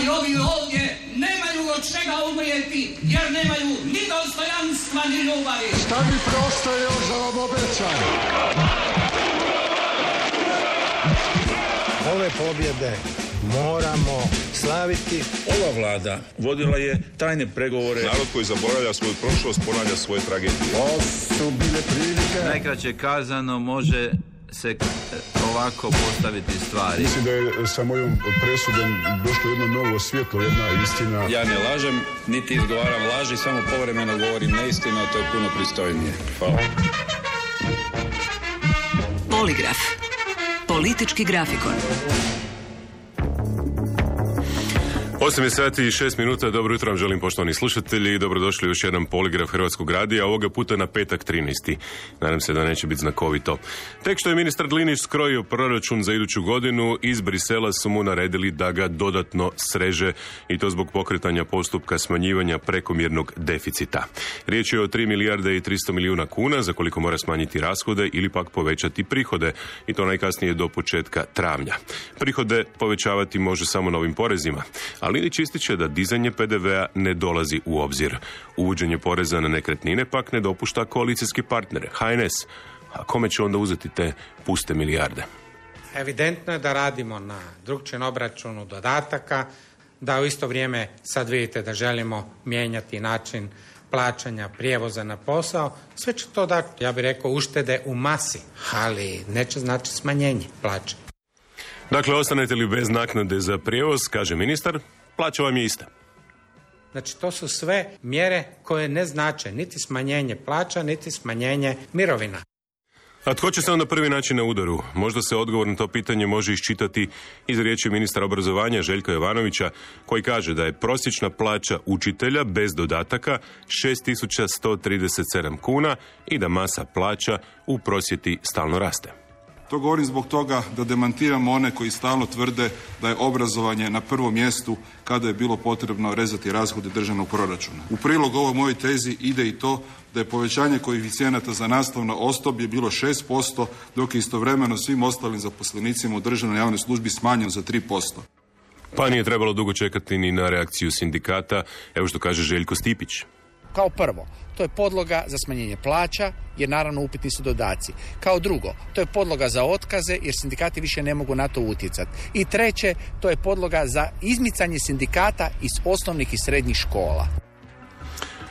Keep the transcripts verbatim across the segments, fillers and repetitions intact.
Ali ovi ovdje nemaju od čega umrijeti, jer nemaju ni dostojanstva, ni ljubavi. Šta mi preostaje još da vam obećam? Ove pobjede moramo slaviti. Ova vlada vodila je tajne pregovore. Narod koji zaboravlja svoju prošlost ponavlja svoje tragedije. To su bile prilike. Najkraće kazano može se ovako postaviti stvari. Mislim da je sa mojom presudom došlo jedno novo svjetlo, jedna istina. Ja ne lažem, niti izgovaram laži, samo povremeno govorim neistinu, a to je puno pristojnije. Hvala. Poligraf. Politički grafikon. osam je sati i šest minuta, dobro jutro vam želim poštovani slušatelji i dobrodošli u još jedan poligraf Hrvatskog radija, ovoga puta na petak trinaesti. Nadam se da neće biti znakovito. Tek što je ministar Linić skrojio proračun za iduću godinu, iz Brisela su mu naredili da ga dodatno sreže i to zbog pokretanja postupka smanjivanja prekomjernog deficita. Riječ je o tri milijarde i tristo milijuna kuna za koliko mora smanjiti rashode ili pak povećati prihode i to najkasnije do početka travnja. Prihode povećavati može samo novim porezima, ali Linić ističe da dizanje pe de vea ne dolazi u obzir. Uvođenje poreza na nekretnine pak ne dopušta koalicijski partnere, ha en es. A kome će onda uzeti te puste milijarde? Evidentno je da radimo na drukčijem obračunu dodataka, da u isto vrijeme sad vidite da želimo mijenjati način plaćanja prijevoza na posao. Sve će to dati, ja bih rekao, uštede u masi, ali neće znači smanjenje plaće. Dakle, ostanete li bez naknade za prijevoz, kaže ministar, plaća vam je ista. Znači, to su sve mjere koje ne znače niti smanjenje plaća, niti smanjenje mirovina. A tko će se onda prvi naći na udaru? Možda se odgovor na to pitanje može iščitati iz riječi ministra obrazovanja Željka Jovanovića, koji kaže da je prosječna plaća učitelja bez dodataka šest tisuća sto trideset sedam kuna i da masa plaća u prosvjeti stalno raste. To govorim zbog toga da demantiramo one koji stalno tvrde da je obrazovanje na prvom mjestu kada je bilo potrebno rezati rashode državnog proračuna. U prilog ovoj mojoj tezi ide i to da je povećanje koeficijenata za nastavno osoblje bilo šest posto, dok je istovremeno svim ostalim zaposlenicima u državnoj javnoj službi smanjeno za tri posto. Pa nije trebalo dugo čekati ni na reakciju sindikata, evo što kaže Željko Stipić. Kao prvo, to je podloga za smanjenje plaća, jer naravno upitni su dodaci. Kao drugo, to je podloga za otkaze, jer sindikati više ne mogu na to utjecati. I treće, to je podloga za izmicanje sindikata iz osnovnih i srednjih škola.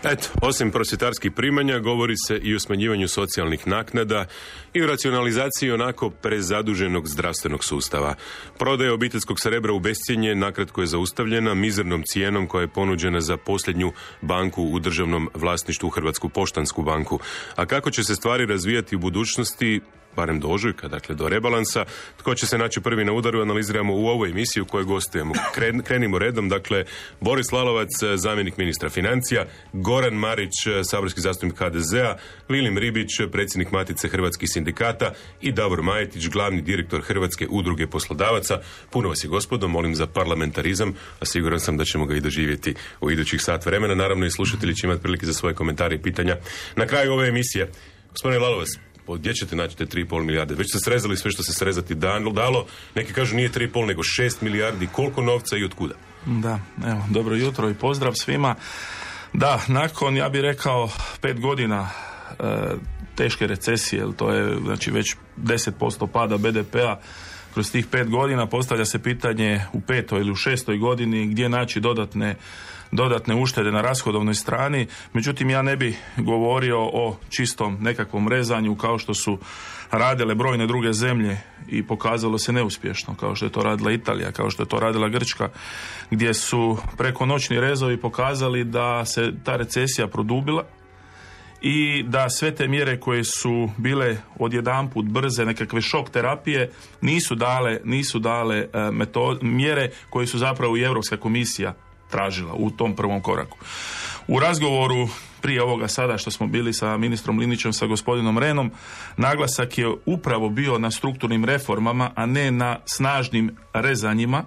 Eto, osim prosvjetarskih primanja, govori se i o smanjivanju socijalnih naknada i o racionalizaciji onako prezaduženog zdravstvenog sustava. Prodaja obiteljskog srebra u bescjenje nakratko je zaustavljena mizernom cijenom koja je ponuđena za posljednju banku u državnom vlasništvu, Hrvatsku poštansku banku. A kako će se stvari razvijati u budućnosti, barem do ožujka, dakle do rebalansa, tko će se naći prvi na udaru, analiziramo u ovoj emisiji u kojoj gostujemo. Kren, krenimo redom, dakle, Boris Lalovac, zamjenik ministra financija, Goran Marić, saborski zastupnik ha de zea, Vilim Ribić, predsjednik Matice hrvatskih sindikata i Davor Majetić, glavni direktor Hrvatske udruge poslodavaca. Puno vas je, gospodo, molim za parlamentarizam, a siguran sam da ćemo ga i doživjeti u idućih sat vremena. Naravno i slušatelji će imati prilike za svoje komentare i pitanja na kraju ove emisije. Gospodine Lalovac, gdje ćete naći te tri i pol milijarde? Već ste srezali sve što se srezati dalo. Neki kažu nije tri i pol nego šest milijardi. Koliko novca i od kuda? Da, evo, dobro jutro i pozdrav svima. Da, nakon, ja bih rekao, pet godina e, teške recesije, jer to je znači već deset posto pada be de pea, kroz tih pet godina postavlja se pitanje u petoj ili u šestoj godini gdje naći dodatne dodatne uštede na rashodovnoj strani. Međutim, ja ne bih govorio o čistom nekakvom rezanju kao što su radile brojne druge zemlje i pokazalo se neuspješno, kao što je to radila Italija, kao što je to radila Grčka, gdje su prekonoćni rezovi pokazali da se ta recesija produbila i da sve te mjere koje su bile odjedanput brze, nekakve šok terapije, nisu dale, nisu dale metode, mjere koje su zapravo i Europska komisija tražila u tom prvom koraku. U razgovoru prije ovoga sada što smo bili sa ministrom Linićem, sa gospodinom Renom, naglasak je upravo bio na strukturnim reformama, a ne na snažnim rezanjima,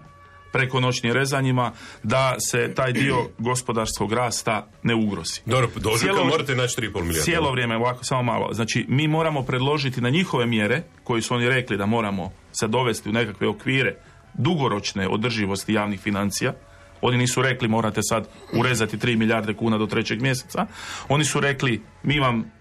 prekonoćnim rezanjima, da se taj dio gospodarskog rasta ne ugrozi. Dobro, doživka morate naći tri i pol milijarde. Cijelo vrijeme, ovako, samo malo. Znači, mi moramo predložiti na njihove mjere, koji su oni rekli da moramo se dovesti u nekakve okvire dugoročne održivosti javnih financija, Oni nisu rekli morate sad urezati tri milijarde kuna do trećeg mjeseca. Oni su rekli mi vam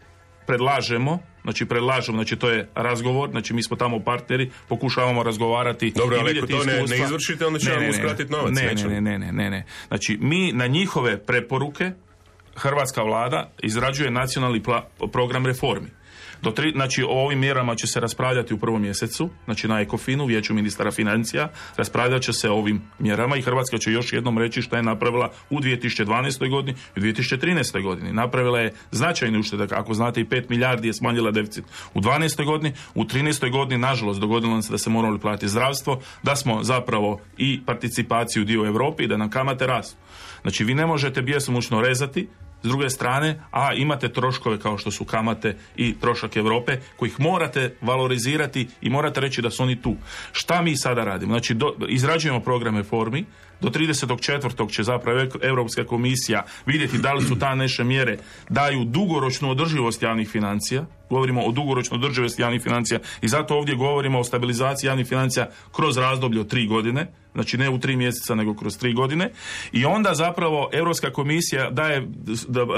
predlažemo, znači predlažemo, znači to je razgovor, znači mi smo tamo partneri, pokušavamo razgovarati. Dobro, ali ako to ne, ne izvršite, onda će vam uskratiti novac. Ne, ne, ne, ne, ne, ne. Znači mi na njihove preporuke hrvatska vlada izrađuje nacionalni pla- program reformi. Do tri, znači o ovim mjerama će se raspravljati u prvom mjesecu, znači na Ekofinu, vijeću ministara financija, raspravljat će se o ovim mjerama i Hrvatska će još jednom reći što je napravila u dvije tisuće dvanaestoj godini i u dvije tisuće trinaestoj godini. Napravila je značajne uštede, ako znate i pet milijardi je smanjila deficit u dvanaestoj godini, u trinaestoj godini nažalost dogodilo nam se da se morali platiti zdravstvo, da smo zapravo i participaciju dio u Europi i da nam kamate rastu. Znači vi ne možete bjesomučno rezati, s druge strane, a imate troškove kao što su kamate i trošak Europe, kojih morate valorizirati i morate reći da su oni tu. Šta mi sada radimo? Znači, do, izrađujemo program reformi, do tridesetog četvrtog će zapravo Europska komisija vidjeti da li su ta naše mjere daju dugoročnu održivost javnih financija. Govorimo o dugoročnoj održivosti javnih financija i zato ovdje govorimo o stabilizaciji javnih financija kroz razdoblje od tri godine, znači ne u tri mjeseca nego kroz tri godine i onda zapravo Europska komisija daje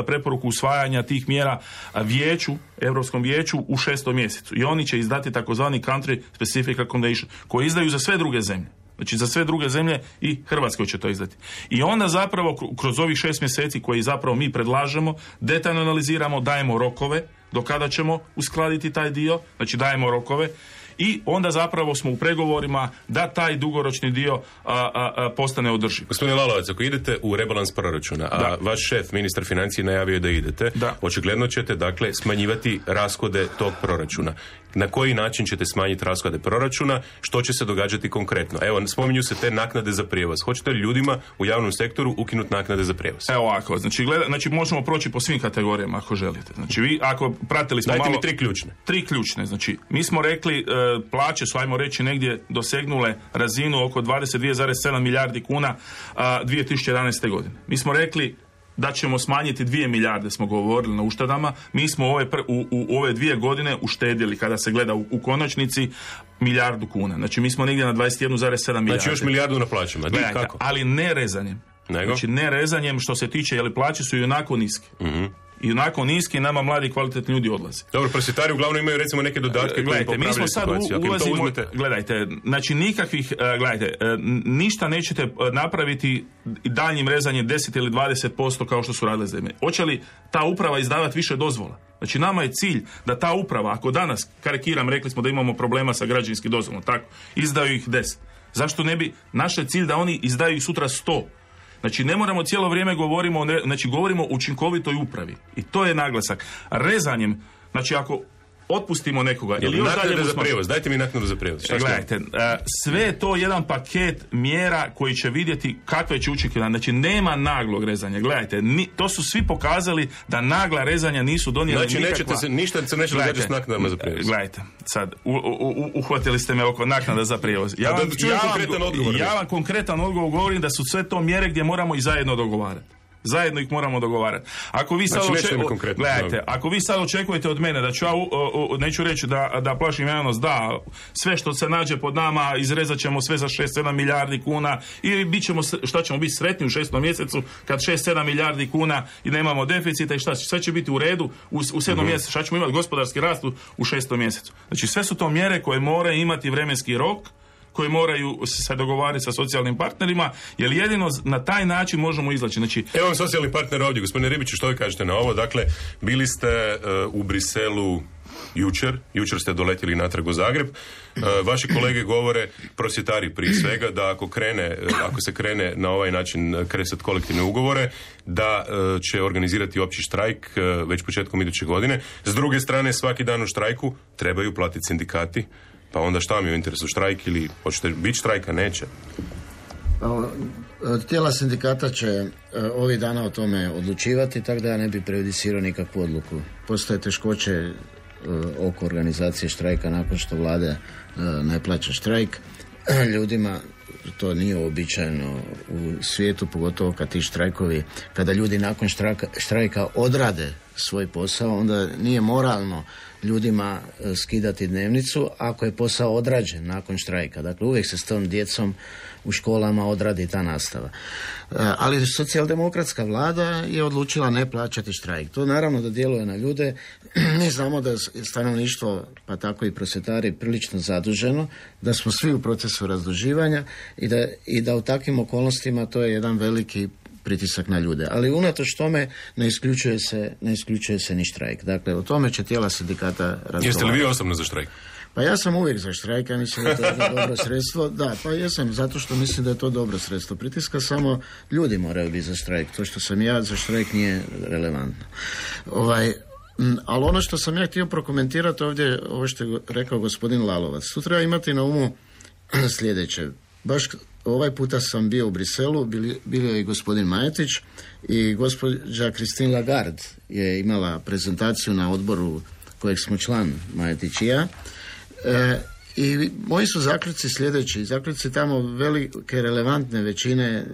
preporuku usvajanja tih mjera vijeću, Europskom vijeću u šestom mjesecu i oni će izdati takozvani country specific recommendation koji izdaju za sve druge zemlje. Znači za sve druge zemlje i Hrvatskoj će to izdati. I onda zapravo kroz ovih šest mjeseci koji zapravo mi predlažemo, detaljno analiziramo, dajemo rokove do kada ćemo uskladiti taj dio, znači dajemo rokove i onda zapravo smo u pregovorima da taj dugoročni dio a, a, a, postane održiv. Gospodine Lalovac, ako idete u rebalans proračuna, a da. Vaš šef, ministar financija, najavio je da idete, da. Očigledno ćete dakle smanjivati rashode tog proračuna. Na koji način ćete smanjiti rashode proračuna, što će se događati konkretno? Evo, spominju se te naknade za prijevoz. Hoćete li ljudima u javnom sektoru ukinuti naknade za prijevoz? Evo ovako, znači, gleda, znači možemo proći po svim kategorijama ako želite. Znači vi, ako pratili smo Dajte malo... mi tri ključne. Tri ključne, znači mi smo rekli, e, plaće su, ajmo reći, negdje dosegnule razinu oko dvadeset dvije zarez sedam milijardi kuna a, dvije tisuće jedanaeste godine. Mi smo rekli da ćemo smanjiti dvije milijarde, smo govorili na uštedama. Mi smo ove, pr- u, u ove dvije godine uštedjeli, kada se gleda u, u konačnici, milijardu kuna. Znači mi smo negdje na dvadeset jedan zarez sedam milijarde. Znači još milijardu na plaćama. Di, kako? Ali ne rezanjem. Nego? Znači ne rezanjem što se tiče, jer plaće su i onako niske. Mm-hmm. I onako niski, nama mladi i kvalitetni ljudi odlaze. Dobro, prosvjetari uglavnom imaju recimo neke dodatke. Gledajte, mi smo sad u, ulazimo, gledajte, znači nikakvih, gledajte, ništa nećete napraviti daljnjim rezanjem deset ili dvadeset posto kao što su radile zemlje. Hoće li ta uprava izdavati više dozvola? Znači nama je cilj da ta uprava, ako danas, karikiram, rekli smo da imamo problema sa građevinskim dozvolom, tako, izdaju ih deset. Zašto ne bi, naš je cilj da oni izdaju ih sutra sto. Znači ne moramo cijelo vrijeme govorimo, znači govorimo o učinkovitoj upravi. I to je naglasak. Rezanjem, znači ako otpustimo nekoga ili još dalje za prijevoz, dajte mi naknadu za prijevoz. Šta gledajte, sve je to jedan paket mjera koji će vidjeti kakve će učinke. Znači nema naglog rezanja. Gledajte, ni, to su svi pokazali da nagla rezanja nisu donijeli znači, nikakva. Znači se ništa se neće događati s naknadama za prijevoz. Gledajte, sad u, u, u, uhvatili ste me oko naknada za prijevoz. Ja vam, ja vam, konkretan odgovor, ja vam konkretan odgovor govorim da su sve to mjere gdje moramo i zajedno dogovarati. Zajedno ih moramo dogovarati. Ako vi sad znači, oče... Gledajte, ako vi sad očekujete od mene da ću ja, o, o, neću reći da, da plašim javnost, da, sve što se nađe pod nama izrezat ćemo sve za šest sedam milijardi kuna i bit ćemo, šta ćemo biti sretni u šestom mjesecu kad šest sedam milijardi kuna i nemamo deficita i šta, sve će biti u redu u, u sedmom mm-hmm. mjesecu, šta ćemo imati gospodarski rast u, u šestom mjesecu. Znači sve su to mjere koje moraju imati vremenski rok, koji moraju se dogovarati sa socijalnim partnerima, jer jedino na taj način možemo izlaći. Znači, evo vam socijalni partner ovdje. Gospodine Ribiću, što vi kažete na ovo? Dakle, bili ste uh, u Briselu jučer, jučer ste doletjeli natrag u Zagreb. Uh, vaši kolege govore, prosvjetari prije svega, da ako krene, ako se krene na ovaj način kresati kolektivne ugovore, da uh, će organizirati opći štrajk uh, već početkom iduće godine. S druge strane, svaki dan u štrajku trebaju platiti sindikati. Pa onda šta mi je u interesu, štrajk ili hoćete biti štrajka? Neće. Tijela sindikata će ovih dana o tome odlučivati, tako da ja ne bi prejudicirao nikakvu odluku. Postoje teškoće oko organizacije štrajka nakon što vlada ne plaća štrajk. Ljudima to nije uobičajeno u svijetu, pogotovo kad ti štrajkovi, kada ljudi nakon štrajka, štrajka odrade svoj posao, onda nije moralno ljudima skidati dnevnicu ako je posao odrađen nakon štrajka. Dakle, uvijek se s tom djecom u školama odradi ta nastava. Ali socijaldemokratska vlada je odlučila ne plaćati štrajk. To naravno da djeluje na ljude. Mi znamo da je stanovništvo, pa tako i prosvjetari, prilično zaduženo, da smo svi u procesu razduživanja i da, i da u takvim okolnostima to je jedan veliki pritisak na ljude. Ali unatoč tome ne isključuje se, ne isključuje se ni štrajk. Dakle, o tome će tijela sindikata razgovarati. Jeste li vi osobno za štrajk? Pa ja sam uvijek za štrajk, ja mislim da je to jedno dobro sredstvo. Da, pa jesam, zato što mislim da je to dobro sredstvo pritiska, samo ljudi moraju biti za štrajk. To što sam ja za štrajk nije relevantno. Ovaj, ali ono što sam ja htio prokomentirati ovdje, ovo što je rekao gospodin Lalovac, tu treba imati na umu sljedeće. Baš ovaj puta sam bio u Briselu, bio je i gospodin Majetić i gospođa Christine Lagarde je imala prezentaciju na odboru kojeg smo član, Majetić i ja. E, I moji su zaključci sljedeći. Zaključci tamo velike relevantne većine e,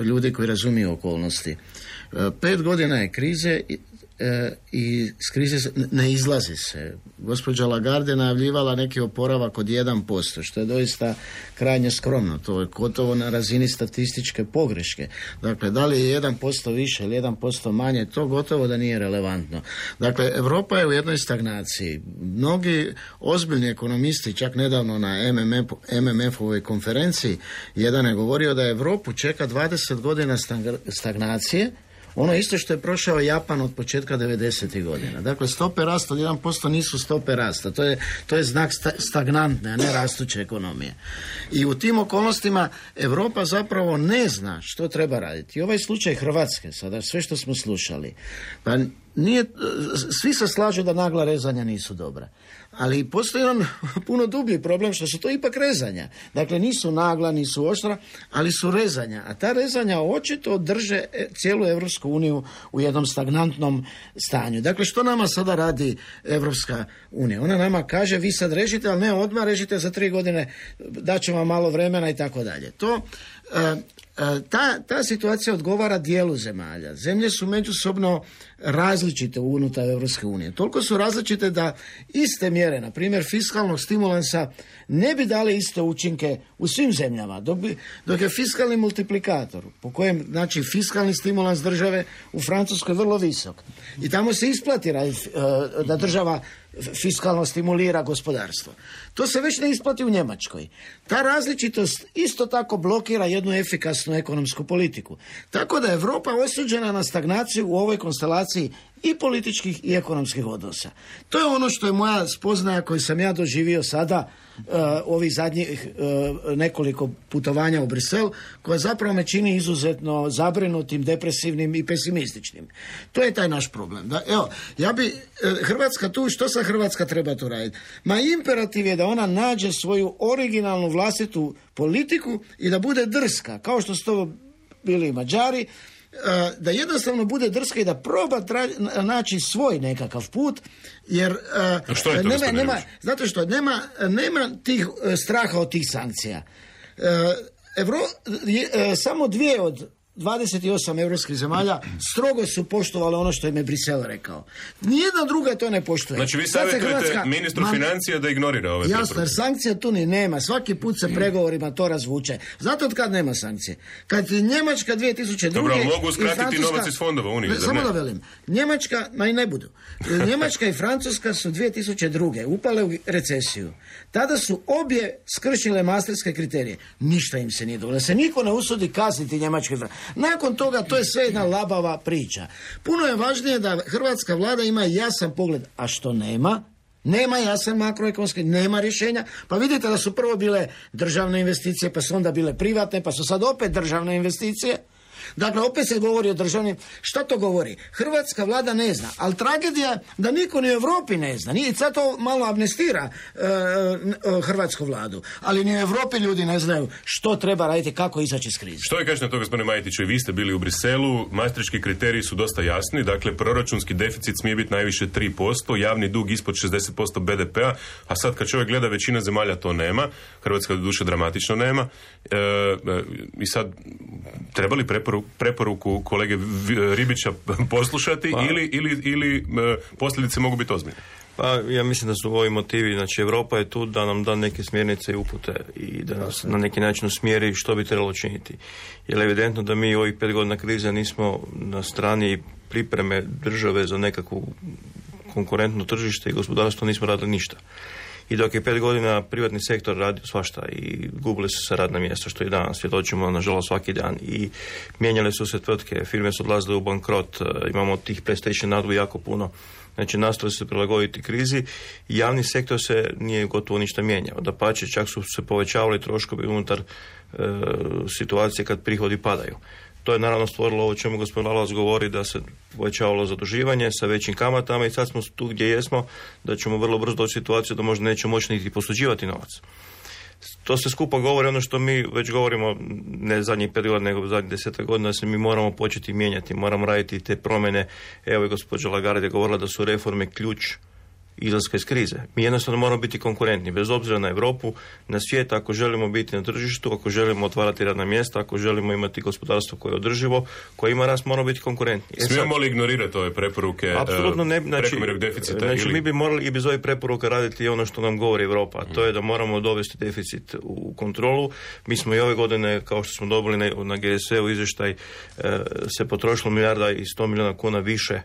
ljudi koji razumiju okolnosti. E, pet godina je krize i, e, i s krize ne izlazi se. Gospođa Lagarde najavljivala neki oporavak od jedan posto, što je doista krajnje skromno. To je gotovo na razini statističke pogreške. Dakle, da li je jedan posto više ili jedan posto manje, to gotovo da nije relevantno. Dakle, Europa je u jednoj stagnaciji. Mnogi ozbiljni ekonomisti, čak nedavno na M M F-ovoj konferenciji, jedan je govorio da Europu čeka dvadeset godina stagnacije, ono isto što je prošao Japan od početka devedesetih godina. Dakle, stope rasta od jedan posto nisu stope rasta. To je, to je znak sta, stagnantne, a ne rastuće ekonomije. I u tim okolnostima Europa zapravo ne zna što treba raditi. I ovaj slučaj Hrvatske, sada sve što smo slušali, pa nije, svi se slažu da nagla rezanja nisu dobra. Ali postoji jedan puno dublji problem što su to ipak rezanja. Dakle, nisu nagla, nisu oštra, ali su rezanja. A ta rezanja očito drže cijelu Evropsku uniju u jednom stagnantnom stanju. Dakle, što nama sada radi Evropska unija? Ona nama kaže, vi sad režite, ali ne odmah, režite za tri godine, daću vam malo vremena i tako dalje. To... Uh, Ta, ta situacija odgovara dijelu zemalja. Zemlje su međusobno različite unutar Europske unije. Toliko su različite da iste mjere, na primjer fiskalnog stimulansa, ne bi dale iste učinke u svim zemljama. Dok, bi, dok je fiskalni multiplikator, po kojem, znači, fiskalni stimulans države u Francuskoj vrlo visok. I tamo se isplati da država fiskalno stimulira gospodarstvo. To se već ne isplati u Njemačkoj. Ta različitost isto tako blokira jednu efikasnu ekonomsku politiku. Tako da je Europa osuđena na stagnaciju u ovoj konstelaciji i političkih i ekonomskih odnosa. To je ono što je moja spoznaja koju sam ja doživio sada uh, ovih zadnjih uh, nekoliko putovanja u Brisel, koja zapravo me čini izuzetno zabrinutim, depresivnim i pesimističnim. To je taj naš problem. Da, evo, ja bi uh, Hrvatska tu, što sa Hrvatska treba tu raditi? Ma imperativ je da ona nađe svoju originalnu vlastitu politiku i da bude drska, kao što su to bili i Mađari, da jednostavno bude drska i da proba tra- naći svoj nekakav put, jer uh, što je to, nema, nema, zato što nema, nema tih uh, straha od tih sankcija. Uh, Evro, je, uh, samo dvije od dvadeset osam europskih zemalja strogo su poštovale ono što im je Brisel rekao. Nijedna druga to ne poštuje. Znači vi savjetujete Hrvatska, ministru man, financija da ignorira ove preporuke. Jasno, jer sankcija tu ni nema. Svaki put se pregovorima to razvuče. Zato od kad nema sankcije? Kad Njemačka dvije tisuće druge... Dobro, mogu uskratiti novac iz fondova Unije. Samo da velim. Njemačka, ma i ne budu. Njemačka i Francuska su dvije tisuće druge upale u recesiju. Tada su obje skršile masterske kriterije. Ništa im se nije dogodilo. Se niko ne usudi kazniti Njemačku i Francusku. Nakon toga to je sve jedna labava priča. Puno je važnije da hrvatska vlada ima jasan pogled, a što nema? Nema jasan makroekonomski, nema rješenja. Pa vidite da su prvo bile državne investicije, pa su onda bile privatne, pa su sad opet državne investicije. Dakle, opet se govori o državnim... Šta to govori? Hrvatska vlada ne zna, ali tragedija da niko ni u Europi ne zna. Nije, sad to malo amnestira e, e, hrvatsku vladu, ali ni u Europi ljudi ne znaju što treba raditi, kako izaći iz krize. Što je kažete na to, gospodine Majetiću? I vi ste bili u Briselu, maastrichtski kriteriji su dosta jasni, dakle, proračunski deficit smije biti najviše tri posto, javni dug ispod šezdeset posto be de pea, a sad kad čovjek gleda, većina zemalja to nema, Hrvatska doduše dramatično nema, e, e, i sad trebali preporu, preporuku kolege Ribića poslušati pa. ili, ili, ili posljedice mogu biti ozbiljne? Pa ja mislim da su ovi motivi, znači Europa je tu da nam da neke smjernice i upute i da nas na neki način usmjeri što bi trebalo činiti. Jer je evidentno da mi u ovih pet godina krize nismo na strani pripreme države za nekakvu konkurentno tržište i gospodarstvo nismo radili ništa. I dok je pet godina privatni sektor radio svašta i gubili su se radna mjesta, što i danas svjedočimo nažalost svaki dan, i mijenjale su se tvrtke, firme su odlazile u bankrot, imamo tih PlayStation nagodbi jako puno. Znači, nastojali se prilagoditi krizi. Javni sektor se nije gotovo ništa mijenjao. Dapače, čak su se povećavali troškovi unutar e, situacije kad prihodi padaju. To je naravno stvorilo ovo čemu gospodin Lalovac govori, da se povećavalo zaduživanje sa većim kamatama i sad smo tu gdje jesmo, da ćemo vrlo brzo doći situaciju da možda nećemo moći niti posuđivati novac. To se skupa govori ono što mi već govorimo ne zadnjih pet godina, nego zadnjih desetak godina, da se mi moramo početi mijenjati, moramo raditi te promjene. Evo i gospođa Lagarde je govorila da su reforme ključ izlaska iz krize. Mi jednostavno moramo biti konkurentni, bez obzira na Europu, na svijet, ako želimo biti na tržištu, ako želimo otvarati radna mjesta, ako želimo imati gospodarstvo koje je održivo, koje ima rast, moramo biti konkurentni. E Smijemo li ignorirati ove preporuke apsolutno ne, znači, prekomjernog deficita? Znači, ili... mi bi morali i bez ove preporuke raditi ono što nam govori Europa, a to je da moramo dovesti deficit u kontrolu. Mi smo i ove godine, kao što smo dobili na, na G S E-u izvještaj, se potrošilo milijarda i sto milijuna kuna više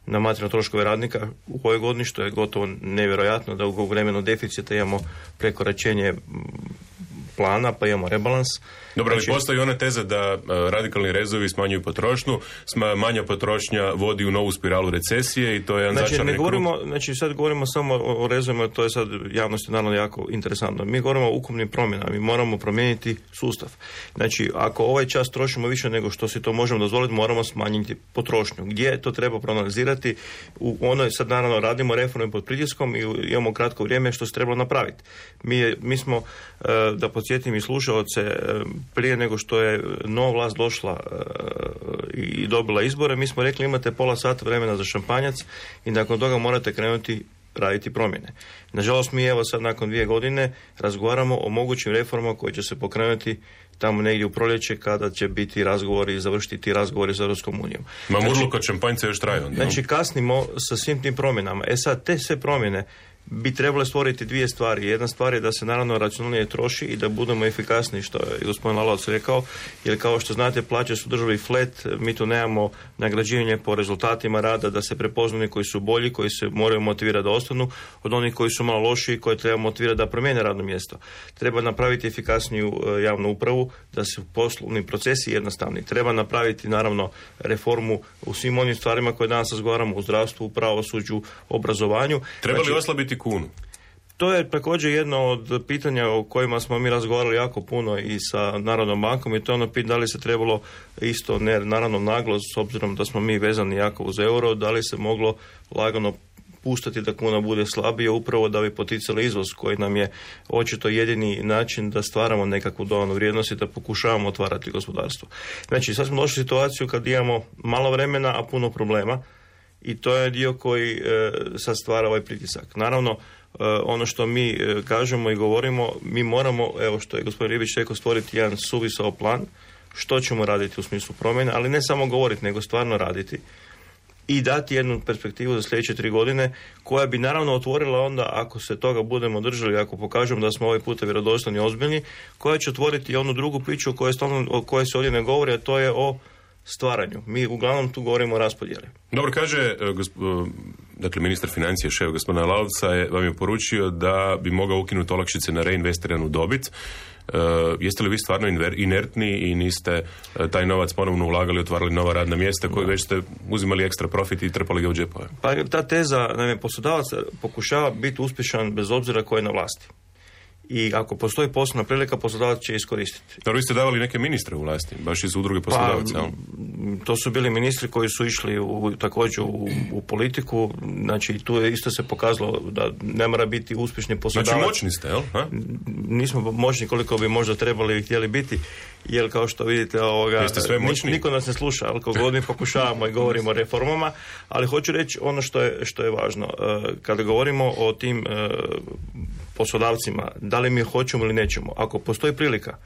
na materijalne troškove radnika u ovoj godini, što je gotovo nevjerojatno da u vremenu deficita imamo prekoračenje plana, pa imamo rebalans. Dobro, ali znači, postoji ona teza da uh, radikalni rezovi smanjuju potrošnju, sma, manja potrošnja vodi u novu spiralu recesije i to je jedan znači, začarani ne govorimo, znači sad govorimo samo o, o rezovima, to je sad javnosti naravno jako interesantno. Mi govorimo o ukupnim promjenama, mi moramo promijeniti sustav. Znači, ako ovaj čas trošimo više nego što si to možemo dozvoliti, moramo smanjiti potrošnju. Gdje to treba proanalizirati? U onoj sad naravno radimo reforme pod pritiskom i imamo kratko vrijeme što se trebalo napraviti. Mi, mi smo, uh, da podsjetim i slušaoce, uh, prije nego što je nova vlast došla uh, i dobila izbore, mi smo rekli imate pola sata vremena za šampanjac i nakon toga morate krenuti raditi promjene. Nažalost, mi evo sad nakon dvije godine razgovaramo o mogućim reformama koje će se pokrenuti tamo negdje u proljeće kada će biti razgovori i završiti ti razgovori s Europskom unijom. Ma znači, murlo kod šampanjca još traje onda. Znači, kasnimo sa svim tim promjenama. E sad, te sve promjene bi trebale stvoriti dvije stvari. Jedna stvar je da se naravno racionalnije troši i da budemo efikasni, što je gospodin Lalovac rekao, jer kao što znate, plaće su državi flat, mi tu nemamo nagrađivanje po rezultatima rada, da se prepoznaju oni koji su bolji, koji se moraju motivirati da ostanu, od onih koji su malo lošiji, koje treba motivirati da promijene radno mjesto. Treba napraviti efikasniju uh, javnu upravu, da su poslovni procesi jednostavni. Treba napraviti naravno reformu u svim onim stvarima koje danas razgovaramo, u zdravstvu, u pravosuđu, obrazovanju. Treba li znači, oslabiti kunu? To je također jedno od pitanja o kojima smo mi razgovarali jako puno i sa Narodnom bankom i to je ono pitanje da li se trebalo isto, ne naravno naglo, s obzirom da smo mi vezani jako uz euro, da li se moglo lagano puštati da kuna bude slabija upravo da bi poticali izvoz koji nam je očito jedini način da stvaramo nekakvu dodanu vrijednost i da pokušavamo otvarati gospodarstvo. Znači sad smo došli u situaciju kad imamo malo vremena, a puno problema. I to je dio koji e, sad stvara ovaj pritisak. Naravno, e, ono što mi e, kažemo i govorimo, mi moramo, evo što je gospodin Ribić rekao, stvoriti jedan suvisao plan što ćemo raditi u smislu promjene, ali ne samo govoriti, nego stvarno raditi i dati jednu perspektivu za sljedeće tri godine koja bi naravno otvorila onda, ako se toga budemo držali, ako pokažemo da smo ovaj puta vjerodostojni i ozbiljni, koja će otvoriti onu drugu priču o kojoj, stalno, o kojoj se ovdje ne govori, a to je o stvaranju. Mi uglavnom tu govorimo o raspodjeli. Dobro, kaže gosp... dakle, ministar financije, šef gospodina Lalovca je, vam je poručio da bi mogao ukinuti olakšice na reinvestiranu dobit. Uh, jeste li vi stvarno inertni i niste uh, taj novac ponovno ulagali, otvarali nova radna mjesta koji već ste uzimali ekstra profit i trpali ga u džepove? Pa ta teza, naime, poslodavac pokušava biti uspješan bez obzira ko je na vlasti. I ako postoji poslovna prilika, poslodavac će iskoristiti. Dobro, vi ste davali neke ministre u vlasti, baš iz udruge poslodavaca. Pa, to su bili ministri koji su išli u, također u, u politiku, znači tu je isto se pokazalo da ne mora biti uspješni poslodavac. Znači moćni ste, jel? Ha? Nismo moćni koliko bi možda trebali i htjeli biti, jer kao što vidite, ovoga, jeste sve moćni? Niko nas ne sluša, ali kogod mi pokušavamo i govorimo o reformama, ali hoću reći ono što je, što je važno. Kada govorimo o tim poslodavcima, da li mi hoćemo ili nećemo, ako postoji prilika,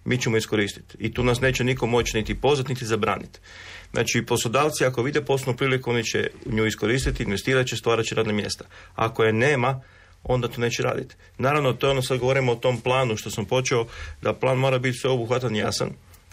mi ćemo iskoristiti. I tu nas neće niko moći niti pozvati, niti zabraniti. Znači, poslodavci ako vide poslovnu priliku, oni će nju iskoristiti, investirat će, stvarat će radna mjesta. Ako je nema, onda to neće raditi. Naravno, to je ono, sad govorimo o tom planu što sam počeo, da plan mora biti sveobuhvatan i jasan,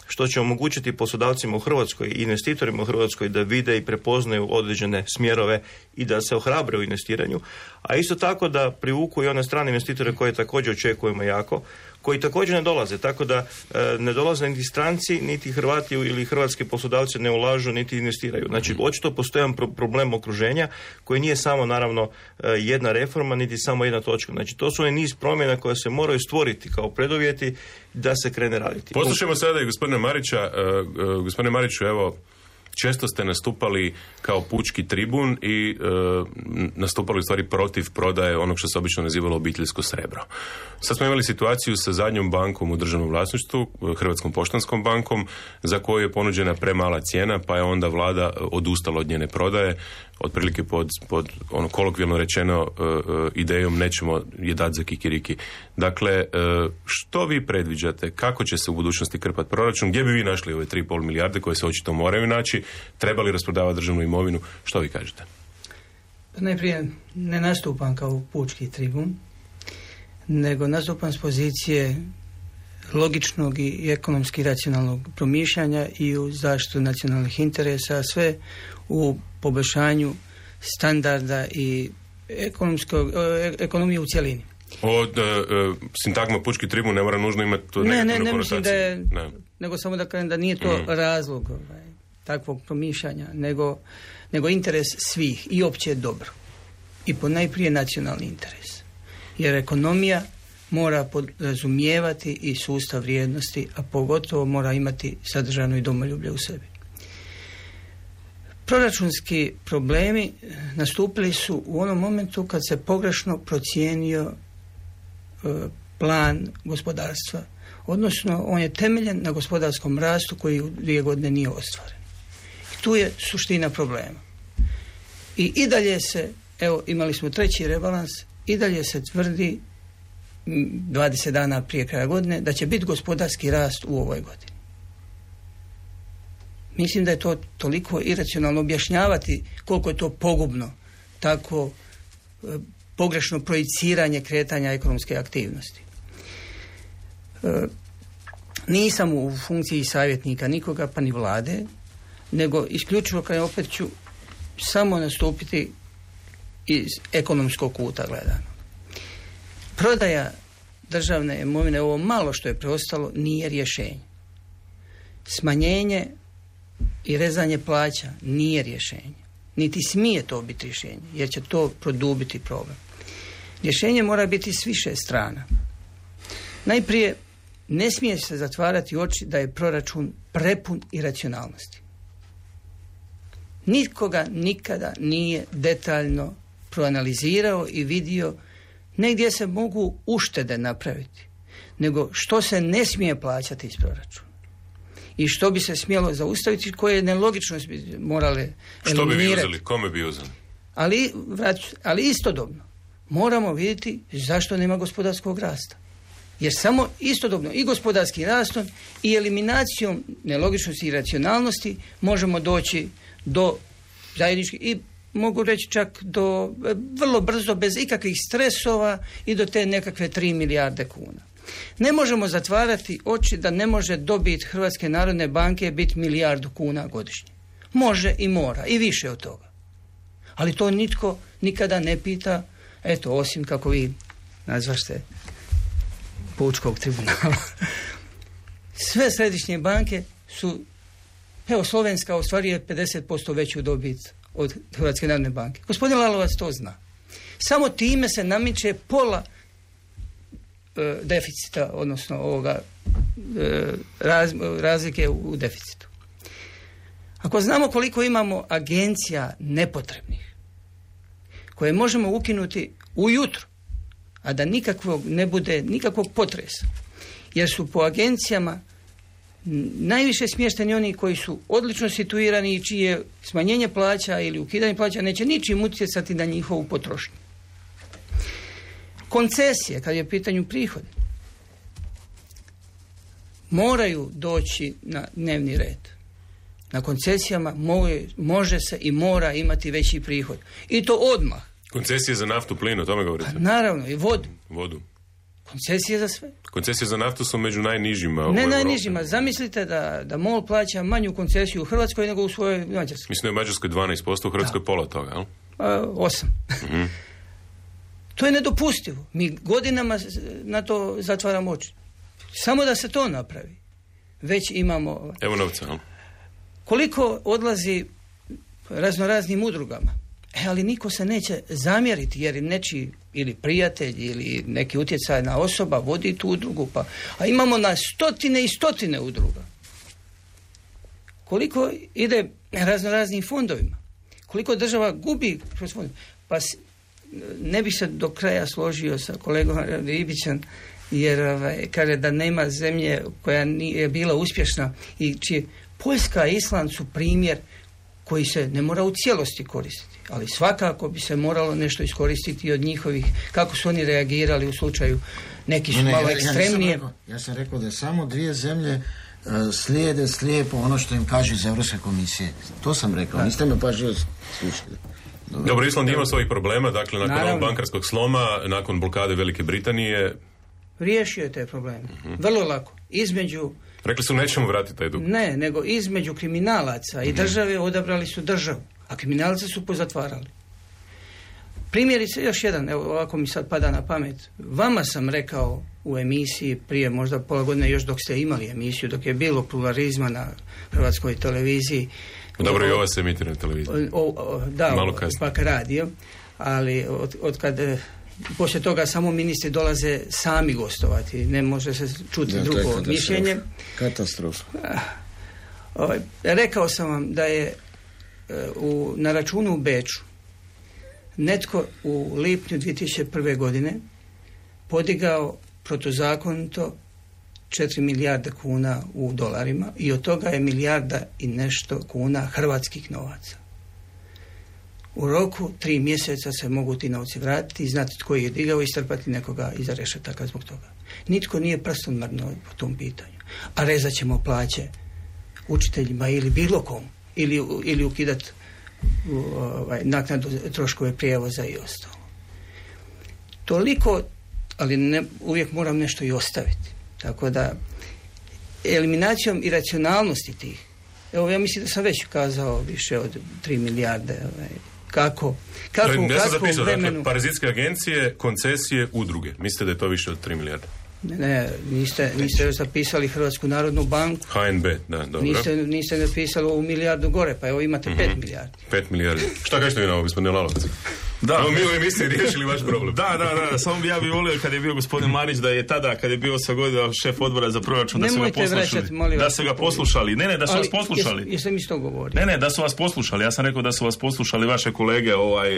što će omogućiti poslodavcima u Hrvatskoj i investitorima u Hrvatskoj da vide i prepoznaju određene smjerove i da se ohrabre u investiranju, a isto tako da privuku i one strane investitore koje također očekujemo jako, koji također ne dolaze, tako da e, ne dolaze niti stranci, niti Hrvati ili hrvatski poslodavci ne ulažu, niti investiraju. Znači, očito postoji jedan pro- problem okruženja koji nije samo, naravno, e, jedna reforma, niti samo jedna točka. Znači, to su one niz promjena koje se moraju stvoriti kao preduvjeti da se krene raditi. Poslušajmo sada i gospodina Marića. E, e, gospodine Mariću, evo, često ste nastupali kao pučki tribun i e, nastupali u stvari protiv prodaje onog što se obično nazivalo obiteljsko srebro. Sad smo imali situaciju sa zadnjom bankom u državnom vlasništvu, Hrvatskom poštanskom bankom, za koju je ponuđena premala cijena, pa je onda vlada odustala od njene prodaje, otprilike pod, pod ono kolokvijalno rečeno e, e, idejom nećemo je dati za kikiriki. Dakle, e, što vi predviđate, kako će se u budućnosti krpati proračun, gdje bi vi našli ove tri i pol milijarde koje se očito moraju naći, trebali rasprodavati državnu imovinu, što vi kažete? Pa najprije ne nastupam kao pučki tribun, nego nastupam s pozicije logičnog i ekonomski racionalnog promišljanja i u zaštitu nacionalnih interesa, sve u poboljšanju standarda i ekonomije u cjelini. Od e, sintagma pučki tribun ne mora nužno imati tu ne, negativnu ne, ne mislim da je, ne. nego samo da kažem da nije to mm. razlog ovaj, takvog promišljanja, nego, nego interes svih i opće dobro. I ponajprije nacionalni interes. Jer ekonomija mora podrazumijevati i sustav vrijednosti, a pogotovo mora imati sadržano i domoljublje u sebi. Proračunski problemi nastupili su u onom momentu kad se pogrešno procijenio e, plan gospodarstva. Odnosno, on je temeljen na gospodarskom rastu koji u dvije godine nije ostvaren. I tu je suština problema. I, i dalje se, evo, imali smo treći rebalans, i dalje se tvrdi dvadeset dana prije kraja godine da će biti gospodarski rast u ovoj godini. Mislim da je to toliko iracionalno objašnjavati koliko je to pogubno, tako e, pogrešno projiciranje kretanja ekonomske aktivnosti. E, nisam u funkciji savjetnika nikoga, pa ni vlade, nego isključivo kad opet ću samo nastupiti iz ekonomskog kuta gledano. Prodaja državne imovine, ovo malo što je preostalo, nije rješenje. Smanjenje i rezanje plaća nije rješenje. Niti smije to biti rješenje, jer će to produbiti problem. Rješenje mora biti s više strana. Najprije, ne smije se zatvarati oči da je proračun prepun iracionalnosti. Nikoga nikada nije detaljno proanalizirao i vidio ne gdje se mogu uštede napraviti, nego što se ne smije plaćati iz proračuna. I što bi se smjelo zaustaviti, koje nelogičnosti bi morale eliminirati. Što bi vi uzeli? Kome bi uzeli? Ali, ali istodobno moramo vidjeti zašto nema gospodarskog rasta. Jer samo istodobno i gospodarskim rastom i eliminacijom nelogičnosti i racionalnosti možemo doći do zajedničkih i mogu reći čak do vrlo brzo, bez ikakvih stresova i do te nekakve tri milijarde kuna. Ne možemo zatvarati oči da ne može dobit Hrvatske narodne banke biti milijardu kuna godišnje. Može i mora i više od toga. Ali to nitko nikada ne pita, eto, osim kako vi nazvašte pučkog tribunala. Sve središnje banke su, evo, slovenska ostvaruje pedeset posto veću dobit od Hrvatske narodne banke. Gospodin Lalovac to zna. Samo time se namiče pola e, deficita, odnosno ovoga e, raz, razlike u, u deficitu. Ako znamo koliko imamo agencija nepotrebnih, koje možemo ukinuti ujutro, a da nikakvog ne bude nikakvog potresa, jer su po agencijama najviše smješteni oni koji su odlično situirani i čije smanjenje plaća ili ukidanje plaća neće ničim utjecati na njihovu potrošnju. Koncesije, kad je u pitanju prihod, moraju doći na dnevni red. Na koncesijama može, može se i mora imati veći prihod. I to odmah. Koncesije za naftu, plin, o tome govorite? Pa, naravno, i vodu. Vodu. Koncesije za sve. Koncesije za naftu su među najnižima. Ne najnižima. Zamislite da, da MOL plaća manju koncesiju u Hrvatskoj nego u svojoj Mađarskoj. Mislim da je u Mađarskoj dvanaest posto, u Hrvatskoj da. Pola toga, jel? osam. Mm-hmm. To je nedopustivo. Mi godinama na to zatvaramo oči. Samo da se to napravi. Već imamo... Evo novca, jel? Koliko odlazi raznoraznim udrugama, e, ali niko se neće zamjeriti jer nečiji ili prijatelj ili neki utjecajna osoba vodi tu udrugu, pa, a imamo na stotine i stotine udruga. Koliko ide raznoraznim fondovima, koliko država gubi kroz fond. Pa ne bih se do kraja složio sa kolegom Ribićem, jer ovaj, kaže da nema zemlje koja nije bila uspješna i čije Poljska i Island su primjer koji se ne mora u cijelosti koristiti, ali svakako bi se moralo nešto iskoristiti od njihovih, kako su oni reagirali u slučaju, neki su ne, ne, malo ja, ekstremnije. Ja, ja sam rekao da samo dvije zemlje uh, slijede slijepo ono što im kaže iz Europske komisije. To sam rekao, da. Niste me pažljivo slušali. Dobro. Dobro, Island ima svojih problema, dakle nakon ovog bankarskog sloma, nakon blokade Velike Britanije. Riješio je te probleme. Uh-huh. Vrlo lako. Između... Rekli su nećemo vratiti taj dug. Ne, nego između kriminalaca i države odabrali su državu, a kriminalce su pozatvarali. Primjerice, još jedan, evo ovako mi sad pada na pamet. Vama sam rekao u emisiji prije možda pola godine, još dok ste imali emisiju, dok je bilo pluralizma na hrvatskoj televiziji. Dobro, o, i ova se emitira na televiziji. O, o, da, malo pak radio, ali od, od kad... Poslije toga samo ministri dolaze sami gostovati, ne može se čuti da, drugo mišljenje. Katastrofa. Ovaj, rekao sam vam da je u, na računu u Beču netko u lipnju dvije tisuće prve. godine podigao protuzakonito četiri milijarde kuna u dolarima i od toga je milijarda i nešto kuna hrvatskih novaca. U roku tri mjeseca se mogu ti novci vratiti i znati tko je digao i strpati nekoga iza rešetaka zbog toga. Nitko nije prstom mrdnuo po tom pitanju. A rezat ćemo plaće učiteljima ili bilo komu. Ili, ili ukidat ovaj, naknadu troškove prijevoza i ostalo. Toliko, ali ne, uvijek moram nešto i ostaviti. Tako da, eliminacijom iracionalnosti tih, evo ja mislim da sam već kazao više od tri milijarde ovaj, Kako? Kako, ja kako sam zapisao, vremenu... dakle, parazitske agencije, koncesije, udruge. Mislite da je to više od tri milijarde? Ne, ne niste, niste još zapisali Hrvatsku narodnu banku. H N B, da, dobro. Niste, niste napisali ovu milijardu gore, pa evo imate mm-hmm. pet milijardi. Pet milijardi. Šta kažete vi na ovo, gospodine Lalovac? Da, no, mi u emisiji riješili vaš problem. Da, da, da, samo bi ja bi volio kad je bio gospodin Marić da je tada, kad je bio sa godina šef odbora za proračun, da su ga poslušali. Vraćati, da su ga poslušali. Ne, ne, da su vas poslušali. Jesam mi to govorio. Ne, ne, da su vas poslušali. Ja sam rekao da su vas poslušali vaše kolege ovaj,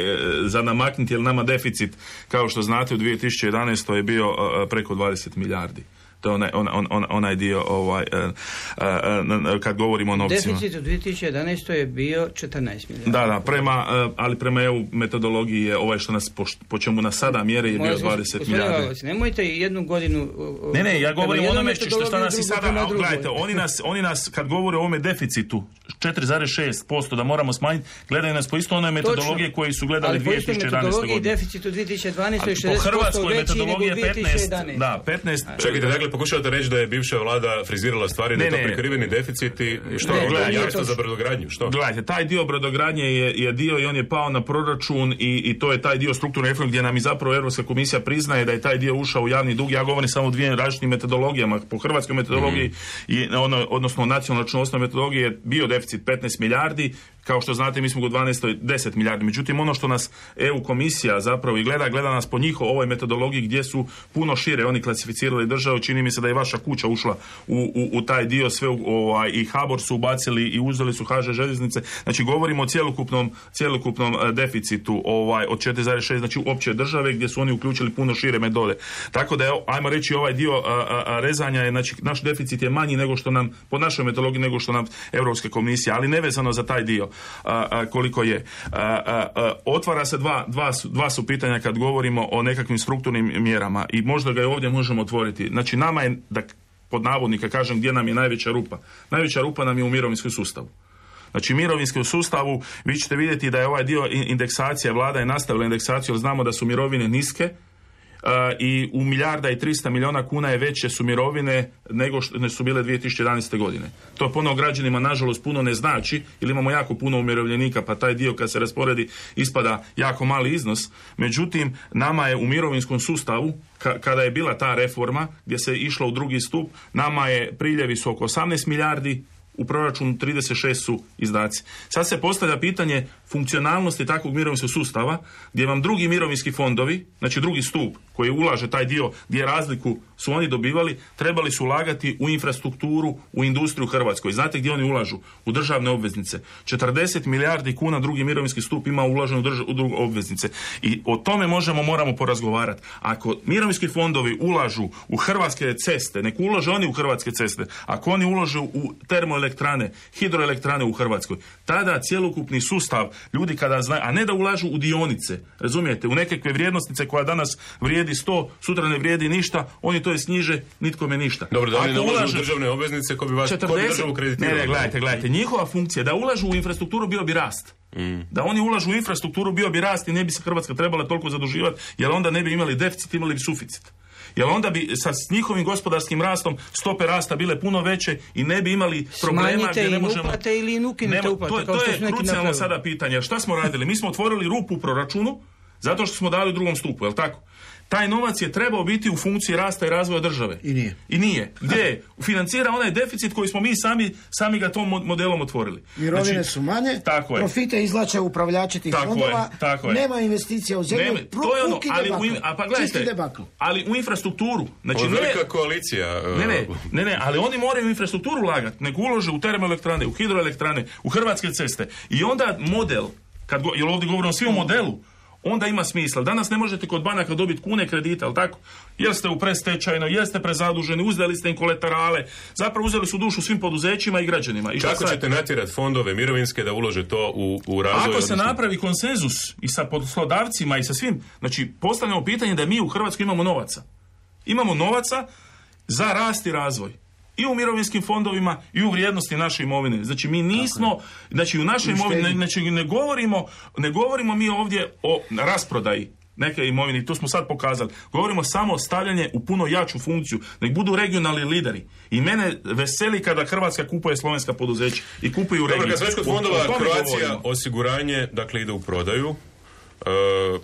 za namaknuti, jer nama deficit, kao što znate, u dvije tisuće jedanaestoj je bio preko dvadeset milijardi. To je onaj, on, on, onaj dio ovaj, uh, uh, kad govorimo o novcima. Deficit u dvije tisuće jedanaestoj je bio četrnaest milijardi. Da, da, prema, uh, ali prema E U metodologiji je ovaj što nas, po, po čemu nas sada mjere je bio dvadeset milijardi. Nemojte jednu godinu... Ne, ne, ja govorim o onome što, što nas i sada... Gledajte, oni nas, oni nas, kad govore o ovome deficitu, četiri zarez šest posto da moramo smanjiti, gledaju nas po isto onoj metodologiji koji su gledali dvije tisuće jedanaeste. Ali po istoj metodologiji deficit u dvije tisuće dvanaestoj je šezdeset posto veći nego u dvije tisuće jedanaeste. Da, petnaest. Čekajte, dakle, pokušavate reći da je bivša vlada frizirala stvari, da je to prikriveni deficit i što? Jamstvo za brodogradnju, što? Gledajte, taj dio brodogradnje je, je dio i on je pao na proračun i, i to je taj dio strukturne reforme gdje nam i zapravo Europska komisija priznaje da je taj dio ušao u javni dug. Ja govorim samo o dvije različitim metodologijama. Po hrvatskoj metodologiji, mm-hmm. i ono, odnosno nacionalno računovodstvene metodologije je bio deficit petnaest milijardi. Kao što znate, mi smo u dvanaestoj deset milijardi. Međutim, ono što nas E U komisija zapravo i gleda, gleda nas po njihovoj ovoj metodologiji gdje su puno šire oni klasificirali državu. Čini mi se da je vaša kuća ušla u, u, u taj dio, sve ovaj, i HBOR su ubacili i uzeli su H Ž željeznice. Znači, govorimo o cjelokupnom, cjelokupnom deficitu ovaj, od četiri zarez šest, znači opće države gdje su oni uključili puno šire metode. Tako da, ajmo reći, ovaj dio a, a, rezanja je, znači, naš deficit je manji nego što nam, po našoj metodologiji, nego što nam Europska komisija, ali nevezano za taj dio. A, a, koliko je. A, a, a, otvara se dva, dva, su, dva su pitanja kad govorimo o nekakvim strukturnim mjerama i možda ga i ovdje možemo otvoriti. Znači, nama je da pod navodnika kažem gdje nam je najveća rupa. Najveća rupa nam je u mirovinskom sustavu. Znači, mirovinskom sustavu vi ćete vidjeti da je ovaj dio indeksacija, vlada je nastavila indeksaciju, jer znamo da su mirovine niske, Uh, i u milijarda i trista milijuna kuna je veće su mirovine nego što su bile dvije tisuće jedanaeste godine. To puno građanima nažalost puno ne znači, ili imamo jako puno umirovljenika, pa taj dio kad se rasporedi ispada jako mali iznos. Međutim, nama je u mirovinskom sustavu, ka- kada je bila ta reforma gdje se išlo u drugi stup, nama je priljevi su oko osamnaest milijardi, u proračunu trideset šest su izdaci. Sad se postavlja pitanje funkcionalnosti takvog mirovinskog sustava, gdje vam drugi mirovinski fondovi, znači drugi stup koji ulaže taj dio gdje razliku su oni dobivali, trebali su ulagati u infrastrukturu, u industriju u Hrvatskoj. Znate gdje oni ulažu? U državne obveznice. četrdeset milijardi kuna drugi mirovinski stup ima uloženo u, drž- u druge obveznice. I o tome možemo, moramo porazgovarati. Ako mirovinski fondovi ulažu u hrvatske ceste, nek ulože oni u hrvatske ceste, ako oni ulože u termoelektrane, hidroelektrane u Hrvatskoj, tada cjelokupni sustav ljudi kada znaju, a ne da ulažu u dionice, razumijete, u nekakve vrijednosnice koja danas vrijedi sto, sutra ne vrijedi ništa, oni to je sniže, nitkome ništa. Dobro, da oni ne ulažu u državne obveznice, ko bi vas četrdeset, ko bi državu kreditirao? Ne, ne, gledajte, gledajte, njihova funkcija da ulažu u infrastrukturu bio bi rast. Mm. Da oni ulažu u infrastrukturu bio bi rast i ne bi se Hrvatska trebala toliko zaduživati, jer onda ne bi imali deficit, imali bi suficit. Jer onda bi sa njihovim gospodarskim rastom stope rasta bile puno veće i ne bi imali problema. Smanjite gdje ne im možemo... uplate ili ukinite uplate. To, to je krucijalno sada pitanje. Šta smo radili? Mi smo otvorili rupu u proračunu zato što smo dali u drugom stupu, je li tako? Taj novac je trebao biti u funkciji rasta i razvoja države. I nije. I nije. Gdje je? Financira onaj deficit koji smo mi sami, sami ga tom modelom otvorili. Mirovine znači, su manje, tako profite izvlače upravljači tih tako fondova, je, tako nema investicija u zemlju, nema, to je ono, ali, u, a pa gledajte, ali u infrastrukturu. Znači, ovo je velika koalicija. Ne, ne, ne, ne, ali oni moraju u infrastrukturu ulagati, nek ulože u termoelektrane, u hidroelektrane, u hrvatske ceste. I onda model, kad go, jer ovdje govorimo svi o modelu, onda ima smisla. Danas ne možete kod banaka dobiti kune kredita, ali tako? Jer ste u prestečajnoj, jer ste prezaduženi, uzeli ste im kolaterale, zapravo uzeli su dušu svim poduzećima i građanima. I kako ćete natjerati fondove mirovinske da ulože to u, u razvoj? Ako se odnosno... napravi konsenzus i sa poslodavcima i sa svim, znači postavljamo pitanje da mi u Hrvatskoj imamo novaca. Imamo novaca za rast i razvoj. I u mirovinskim fondovima i u vrijednosti naše imovine. Znači mi nismo, znači u našoj imovini, znači ne govorimo, ne govorimo mi ovdje o rasprodaji neke imovine, to smo sad pokazali. Govorimo samo o stavljanje u puno jaču funkciju, nek budu regionalni lideri. I mene veseli kada Hrvatska kupuje slovenska poduzeća i kupuju regiju. Dobro, kad sve kod fondova Croatia osiguranje, dakle ide u prodaju. Uh,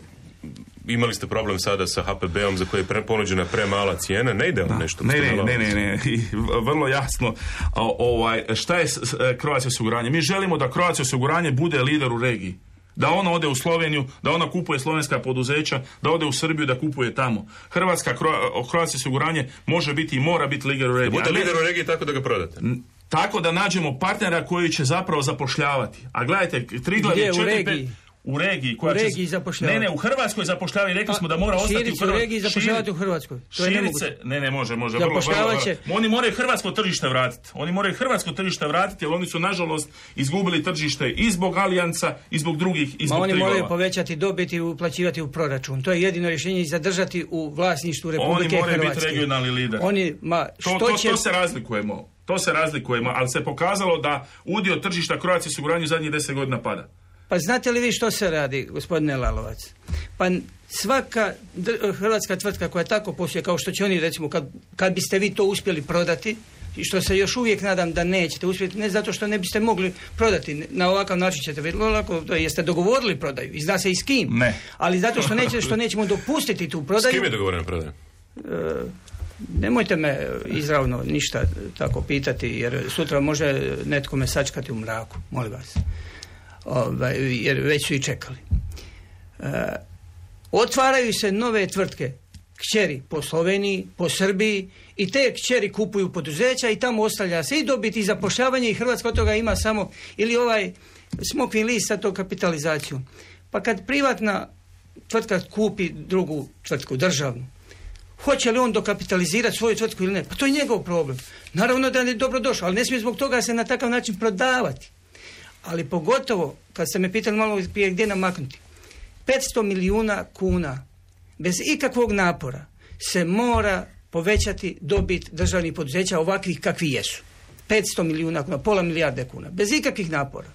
Imali ste problem sada sa H P B-om za koje je pre, ponuđena premala cijena, ne ide on nešto? Ne, ne, ne, ne, ne, I vrlo jasno, o, ovaj, šta je Croatia osiguranje? Mi želimo da Croatia osiguranje bude lider u regiji. Da ona ode u Sloveniju, da ona kupuje slovenska poduzeća, da ode u Srbiju, da kupuje tamo. Hrvatska Croatia osiguranje može biti i mora biti lider u regiji. Da bude lider u regiji tako da ga prodate? Tako da nađemo partnera koji će zapravo zapošljavati. A gledajte, Triglav je četiri pet... U regiji. Koja u regiji će... zapošljavati. Ne, ne, u Hrvatskoj zapošljavaju. Rekli smo da mora ostati u Hrvatskoj. U regiji zapošljavati u Hrvatskoj. To je nemoguće. Ne, ne, može, može. Vrlo, vrlo, vrlo. Oni moraju hrvatsko tržište vratiti. Oni moraju hrvatsko tržište vratiti, jer oni su, nažalost, izgubili tržište i zbog Alijansa, i zbog drugih, i zbog Ma oni Trigova. moraju povećati dobit i uplaćivati u proračun. To je jedino rješenje i zadržati u vlasništvu Republike Hrvatske. Oni moraju biti regionalni lider. Oni, ma, što to, to, će... to se razlikujemo. To se razlikujemo, ali se pokazalo da udio tržišta Croatia osiguranju zadnjih deset godina pada. Pa znate li vi što se radi, gospodine Lalovac? Pa svaka hrvatska tvrtka koja tako posluje, kao što će oni, recimo, kad, kad biste vi to uspjeli prodati, i što se još uvijek nadam da nećete uspjeti, ne zato što ne biste mogli prodati, na ovakav način ćete vrlo lako, jeste dogovorili prodaju, i zna se i s kim, ne. Ali zato što, neće, što nećemo dopustiti tu prodaju... S kim je dogovorena prodaja? E, nemojte me izravno ništa tako pitati, jer sutra može netko me sačkati u mraku, molim vas. Ovaj, jer već su i čekali. E, otvaraju se nove tvrtke, kćeri po Sloveniji, po Srbiji, i te kćeri kupuju poduzeća i tamo ostavlja se i dobiti i zapošljavanje, i Hrvatska od toga ima samo, ili ovaj smokvin list sa to kapitalizacijom. Pa kad privatna tvrtka kupi drugu tvrtku, državnu, hoće li on dokapitalizirati svoju tvrtku ili ne? Pa to je njegov problem. Naravno da je dobro došao, ali ne smije zbog toga se na takav način prodavati. Ali pogotovo, kad ste me pitali malo prije gdje namaknuti, petsto milijuna kuna bez ikakvog napora se mora povećati dobit državnih poduzeća ovakvih kakvi jesu. petsto milijuna kuna, pola milijarde kuna, bez ikakvih napora.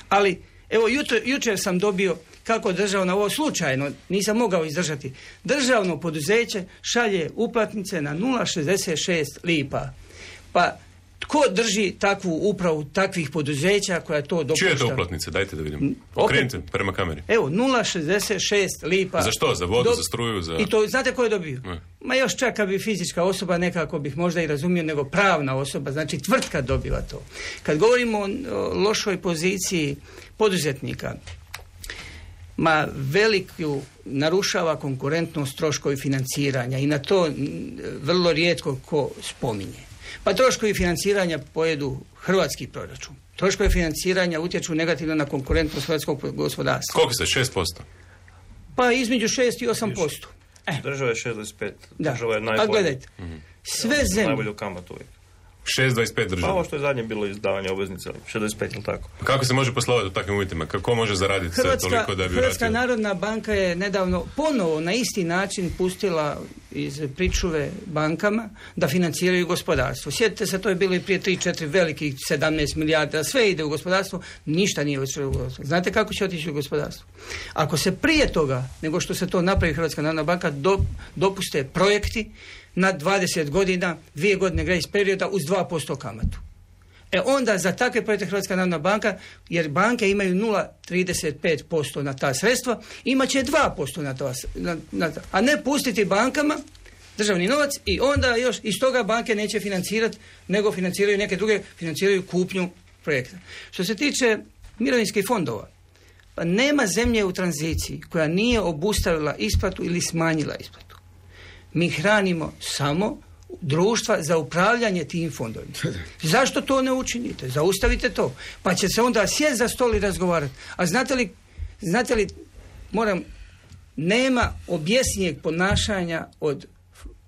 Ali, evo, jutro, jučer sam dobio kako državno, ovo slučajno, nisam mogao izdržati, državno poduzeće šalje uplatnice na nula zarez šezdeset šest lipa. Pa, tko drži takvu upravu takvih poduzeća koja to dopušta? Čije je to uplatnice? Dajte da vidim. Okrenite prema kameri. Evo, nula zarez šezdeset šest lipa. Za što? Za vodu, Do... za struju? Za... I to, znate ko je dobio? Ne. Ma još čak kad bi fizička osoba, nekako bih možda i razumio, nego pravna osoba, znači tvrtka dobiva to. Kad govorimo o lošoj poziciji poduzetnika, ma veliku narušava konkurentnost troškovi financiranja i na to vrlo rijetko ko spominje. Pa troškovi financiranja pojedu hrvatski proračun. Troškovi financiranja utječu negativno na konkurentnost hrvatskog gospodarstva. Koliko se? šest posto? Pa između šest i osam posto. E. Država je šezdeset pet. Da. Država je A najbolja. gledajte, sve zemlje... Najbolju kamatu uvijek. šest zarez dvadeset pet država. Pa ovo što je zadnje bilo izdavanje obveznice, šezdeset pet, ili tako? Kako se može poslovati u takvim uvjetima? Kako može zaraditi sve Hrvatska, toliko da bi Hrvatska vratio? narodna banka je nedavno ponovo na isti način pustila iz pričuve bankama da financiraju gospodarstvo. Sjetite se, to je bilo i prije tri četiri velikih sedamnaest milijarda, sve ide u gospodarstvo, ništa nije otišlo u gospodarstvo. Znate kako će otići u gospodarstvo? Ako se prije toga, nego što se to napravi Hrvatska narodna banka, do, dopuste projekti na dvadeset godina, dvije godine grace perioda uz dva posto kamatu. E onda za takve projekte Hrvatska narodna banka, jer banke imaju nula zarez trideset pet posto na ta sredstva, imat će dva posto na to, na, na, a ne pustiti bankama državni novac i onda još iz toga banke neće financirati, nego financiraju neke druge, financiraju kupnju projekta. Što se tiče mirovinskih fondova, pa nema zemlje u tranziciji koja nije obustavila isplatu ili smanjila isplatu. Mi hranimo samo društva za upravljanje tim fondovima. Zašto to ne učinite? Zaustavite to. Pa će se onda sjest za stol i razgovarati. A znate li, znate li, moram, nema objesnijeg ponašanja od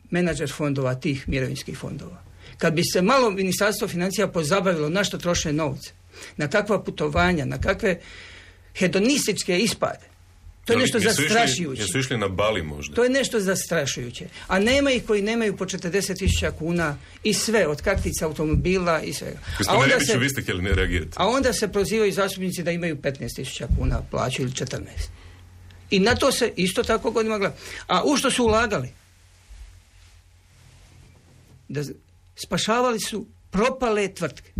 menadžer fondova, tih mirovinskih fondova. Kad bi se malo Ministarstvo financija pozabavilo na što troše novce, na kakva putovanja, na kakve hedonističke ispade, to je nešto zastrašujuće. Jesu išli na Bali možda? To je nešto zastrašujuće. A nema ih koji nemaju po četrdeset tisuća kuna i sve, od kartica automobila i svega. Gospodine Rebiću, vi ste htjeli ne reagirati. A onda se prozivaju zastupnici da imaju petnaest tisuća kuna plaću ili četrnaest. I na to se isto tako godinama gleda. A u što su ulagali? Da spašavali su propale tvrtke.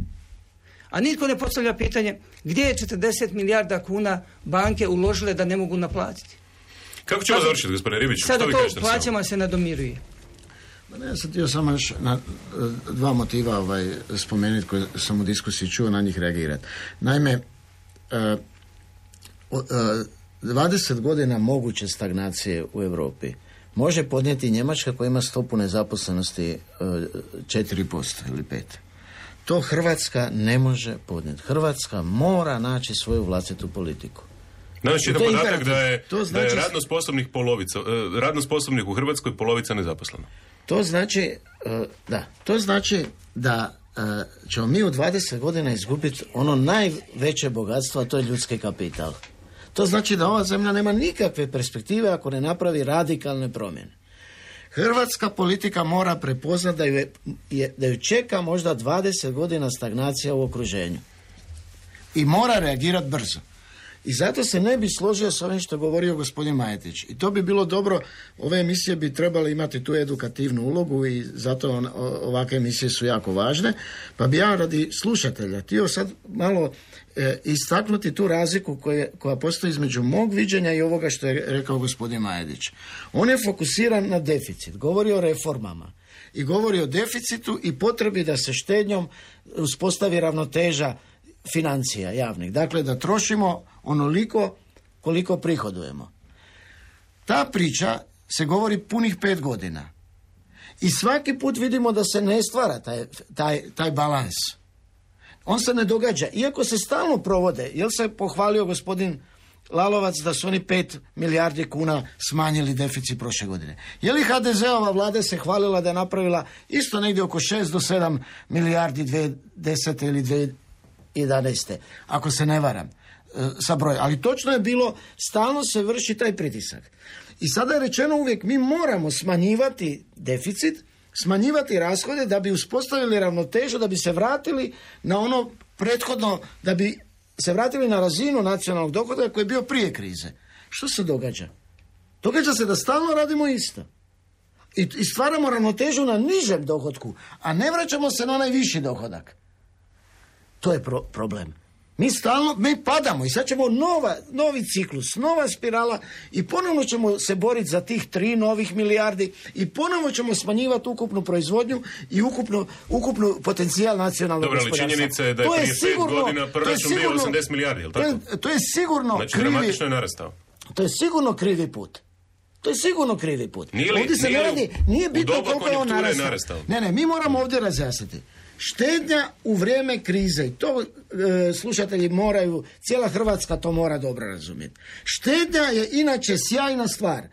A nitko ne postavlja pitanje gdje je četrdeset milijarda kuna banke uložile da ne mogu naplatiti. Kako će ovo završiti, gospodine Ribić? Sada to plaćama se nadomiruje. Ja sam htio samo još na dva motiva ovaj, spomenuti koje sam u diskusiji čuo, na njih reagirati. Naime, dvadeset godina moguće stagnacije u Europi može podnijeti Njemačka koja ima stopu nezaposlenosti četiri posto ili pet posto. To Hrvatska ne može podnijeti. Hrvatska mora naći svoju vlastitu politiku. Znači, jedan podatak da je, to znači, da je radno sposobnih polovica, radno sposobnih u Hrvatskoj polovica nezaposlena. To znači, da, to znači da ćemo mi u dvadeset godina izgubiti ono najveće bogatstvo, a to je ljudski kapital. To znači da ova zemlja nema nikakve perspektive ako ne napravi radikalne promjene. Hrvatska politika mora prepoznati da ju, je, da ju čeka možda dvadeset godina stagnacija u okruženju. I mora reagirati brzo. I zato se ne bi složio s ovim što je govorio gospodin Majetić. I to bi bilo dobro, ove emisije bi trebale imati tu edukativnu ulogu i zato on, ovakve emisije su jako važne. Pa bi ja radi slušatelja htio sad malo e, istaknuti tu razliku koje, koja postoji između mog viđenja i ovoga što je rekao gospodin Majetić. On je fokusiran na deficit, govori o reformama i govori o deficitu i potrebi da se štednjom uspostavi ravnoteža financija javnih. Dakle, da trošimo onoliko koliko prihodujemo. Ta priča se govori punih pet godina. I svaki put vidimo da se ne stvara taj, taj, taj balans. On se ne događa. Iako se stalno provode, jel se pohvalio gospodin Lalovac da su oni pet milijardi kuna smanjili deficit prošle godine. Je li ha de ze-ova vlada se hvalila da je napravila isto negdje oko šest do sedam milijardi dvije tisuće desete ili dvije tisuće jedanaeste. Ako se ne varam sa brojem. Ali točno je bilo, stalno se vrši taj pritisak. I sada je rečeno uvijek, mi moramo smanjivati deficit smanjivati rashode da bi uspostavili ravnotežu, da bi se vratili na ono prethodno, da bi se vratili na razinu nacionalnog dohotka koji je bio prije krize. Što se događa? Događa se da stalno radimo isto. I, i stvaramo ravnotežu na nižem dohotku, a ne vraćamo se na onaj viši dohodak. To je pro, problem. Mi stalno, mi padamo i sad ćemo nova, novi ciklus, nova spirala i ponovno ćemo se boriti za tih tri novih milijardi i ponovno ćemo smanjivati ukupnu proizvodnju i ukupnu, ukupnu potencijal nacionalnog Dobro, gospodarstva. Dobro, ali činjenica je da je to prije je sigurno, pet godina proračun bio osamdeset milijardi, je li tako? To je, to je sigurno znači, krivi... dramatično je narastao. To je sigurno krivi put. To je sigurno krivi put. Nije li, ovdje se nije ne radi, nije bitno koliko je on narastao. narastao. Ne, ne, mi moramo ovdje razjasniti. Štednja u vrijeme krize, i to e, slušatelji moraju, cijela Hrvatska to mora dobro razumjeti. Štednja je inače sjajna stvar,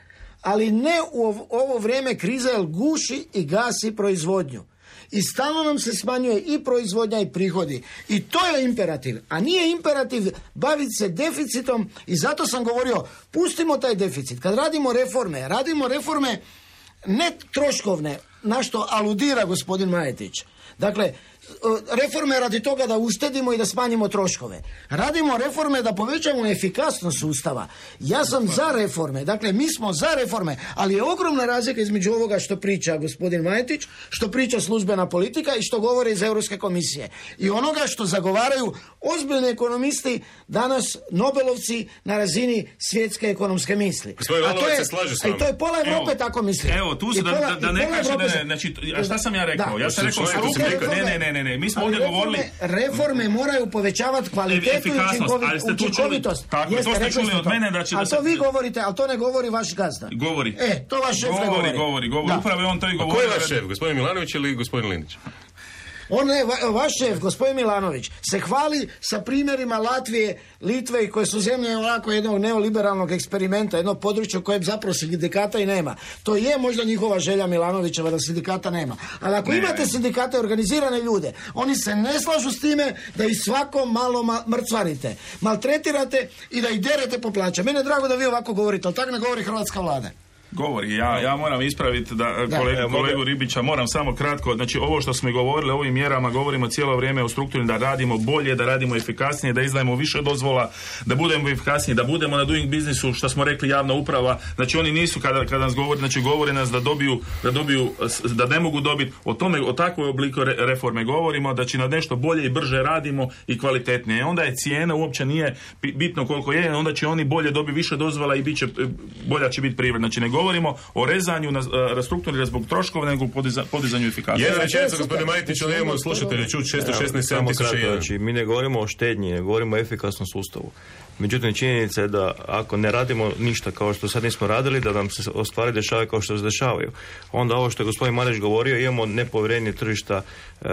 ali ne u ovo, ovo vrijeme krize, jer guši i gasi proizvodnju. I stalno nam se smanjuje i proizvodnja i prihodi. I to je imperativ. A nije imperativ baviti se deficitom i zato sam govorio, pustimo taj deficit. Kad radimo reforme, radimo reforme ne troškovne, na što aludira gospodin Majetić. Dakle, reforme radi toga da uštedimo i da smanjimo troškove. Radimo reforme da povećamo efikasnost sustava. Ja sam za reforme, dakle mi smo za reforme, ali je ogromna razlika između ovoga što priča gospodin Majetić, što priča službena politika i što govore iz Europske komisije. I onoga što zagovaraju ozbiljni ekonomisti, danas Nobelovci na razini svjetske ekonomske misli. Gospodin Lalovac se slaže s vama. I to je pola Evrope tako misli. Evo, tu se da, da, da ne kaže, ne, ne, znači, a šta sam ja rekao? Da, ja sam rekao, ne, ne, ne, ne, ne, mi smo ovdje reforme, govorili... Reforme moraju povećavati kvalitetu i učinkovit, učinkovitost. Tako, Jeste, to ste čuli od mene da će... Ali to vi govorite, ali to ne govori vaš gazda. Govori. E, to vaš šef ne govori. Govori, govori, govori. Upravo je on to i govori. A ko je vaš šef, gospodin Milanović ili gospodin Linić? On ne, vaš šef, gospodin Milanović, se hvali sa primjerima Latvije, Litve i koje su zemlje onako jednog neoliberalnog eksperimenta, jedno područje u kojem zapravo sindikata i nema. To je možda njihova želja Milanovićeva da sindikata nema. Ali ako ne, imate sindikate, organizirane ljude, oni se ne slažu s time da ih svako malo ma- mrcvarite, maltretirate i da ih derete po plaća. Mene je drago da vi ovako govorite, ali tako ne govori hrvatska vlada. Govori, ja, ja moram ispraviti da, kolegu, kolegu Ribića, moram samo kratko, znači ovo što smo i govorili o ovim mjerama, govorimo cijelo vrijeme o strukturnim, da radimo bolje, da radimo efikasnije, da izdajemo više dozvola, da budemo efikasniji, da budemo na doing businessu, što smo rekli javna uprava, znači oni nisu kada, kada nas govori, znači govore nas da dobiju, da dobiju, da ne mogu dobiti, o tome, o takvoj obliku re, reforme govorimo, da će na nešto bolje i brže radimo i kvalitetnije. Onda je cijena uopće nije bitno koliko je, onda će oni bolje dobiti više dozvola i bit će, bolja će biti privredna. Znači ne govorimo o rezanju na restrukturiranju zbog troškova, nego podizanju, podizanju efikasnosti. Jedna rečenica, gospodine Majetić, ali imamo slušatelje, čut šesto šesnaest sedam tisuća jedan. Znači, mi ne govorimo o štednji, ne govorimo o efikasnom sustavu. Međutim, činjenica je da ako ne radimo ništa kao što sad nismo radili, da nam se stvari dešavaju kao što se dešavaju. Onda ovo što je gospodin Marić govorio, imamo nepovjerenje tržišta,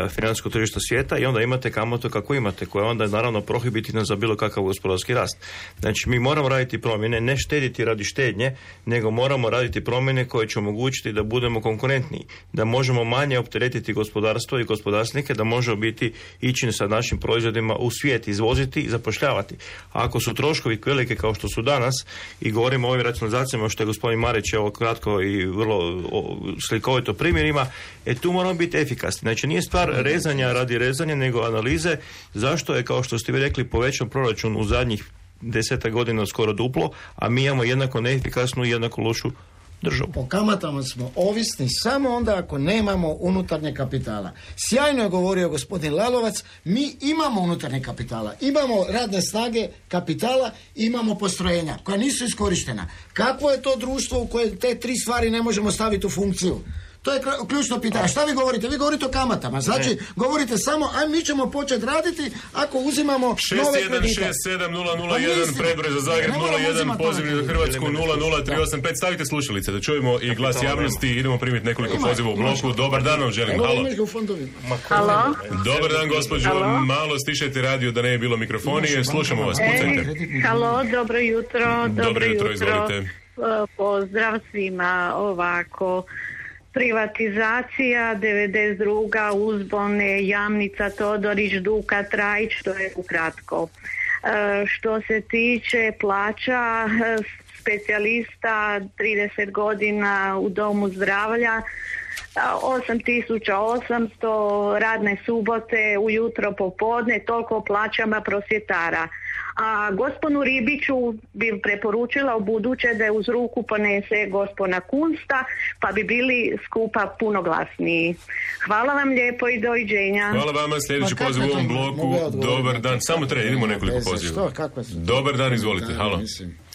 financijskog tržišta svijeta i onda imate kamatu kako imate, koja onda je naravno prohibitivna za bilo kakav gospodarski rast. Znači, mi moramo raditi promjene, ne štediti radi štednje, nego moramo raditi promjene koje će omogućiti da budemo konkurentniji, da možemo manje opteretiti gospodarstvo i gospodarstvenike, da možemo biti ići sa našim proizvodima u svijet, izvoziti i zapošljavati. A ako su troškovi velike kao što su danas i govorimo o ovim racionalizacijama što je gospodin Marić ovo kratko i vrlo slikovito primjerima, e tu moramo biti efikasni. Znači nije stvar rezanja radi rezanja, nego analize zašto je, kao što ste vi rekli, povećan proračun u zadnjih deseta godina skoro duplo, a mi imamo jednako neefikasnu i jednako lošu državu. Po kamatama smo ovisni samo onda ako nemamo unutarnje kapitala. Sjajno je govorio gospodin Lalovac, mi imamo unutarnje kapitala, imamo radne snage, kapitala, imamo postrojenja koja nisu iskorištena. Kakvo je to društvo u koje te tri stvari ne možemo staviti u funkciju? To je ključno pitanje. Šta vi govorite? Vi govorite o kamatama. Znači, ne. govorite samo, aj mi ćemo početi raditi ako uzimamo nove kredite. šest jedan šest sedam nula nula jedan, prebroj za Zagreb nula jedan, poziv za Hrvatsku nula nula tri osam pet. Stavite slušalice da čujemo i glas javnosti. Idemo primiti nekoliko poziva u bloku. Dobar dan vam želim. Halo. Halo. Dobar dan, gospođo. Malo stišajte radio da ne je bilo mikrofonije. Slušamo vas. Pucajte. Halo, dobro jutro. Dobro jutro, izvolite. Pozdrav svima. Ovako, privatizacija devedeset druga, Uzbone, Jamnica, Todorić, Duka, Trajić, to je ukratko. E, što se tiče plaća specijalista trideset godina u domu zdravlja, osam tisuća osamsto radne subote, ujutro popodne, toliko o plaćama prosvjetara. A gospodinu Ribiću bi preporučila u buduće da je uz ruku ponese gospona Kunsta, pa bi bili skupa puno glasniji. Hvala vam lijepo i doviđenja. Hvala vama, sljedeći Ma, poziv u ovom bloku. Dobar dan, samo treba, idemo nekoliko poziva. Što, kakva su? Dobar dan, izvolite, halo.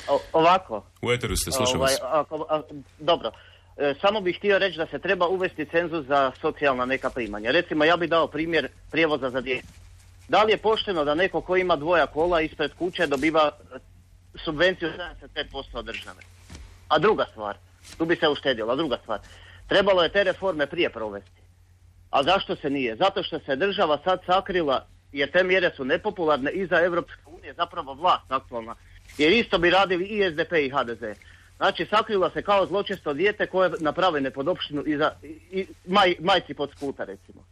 O, ovako. U eteru ste, slušam ovaj, vas. ako, a, dobro, e, samo bih htio reći da se treba uvesti cenzus za socijalna neka primanja. Recimo, ja bih dao primjer prijevoza za djecu. Da li je pošteno da neko ko ima dvoja kola ispred kuće dobiva subvenciju sedamdeset pet posto od države? A druga stvar, tu bi se uštedjela, druga stvar, trebalo je te reforme prije provesti. A zašto se nije? Zato što se država sad sakrila, jer te mjere su nepopularne i za Europsku uniju, zapravo vlast aktualna. Jer isto bi radili i S D P i H D Z. Znači, sakrila se kao zločesto dijete koje napravi nepodopštinu i, za, i, i maj, majci pod skuta, recimo.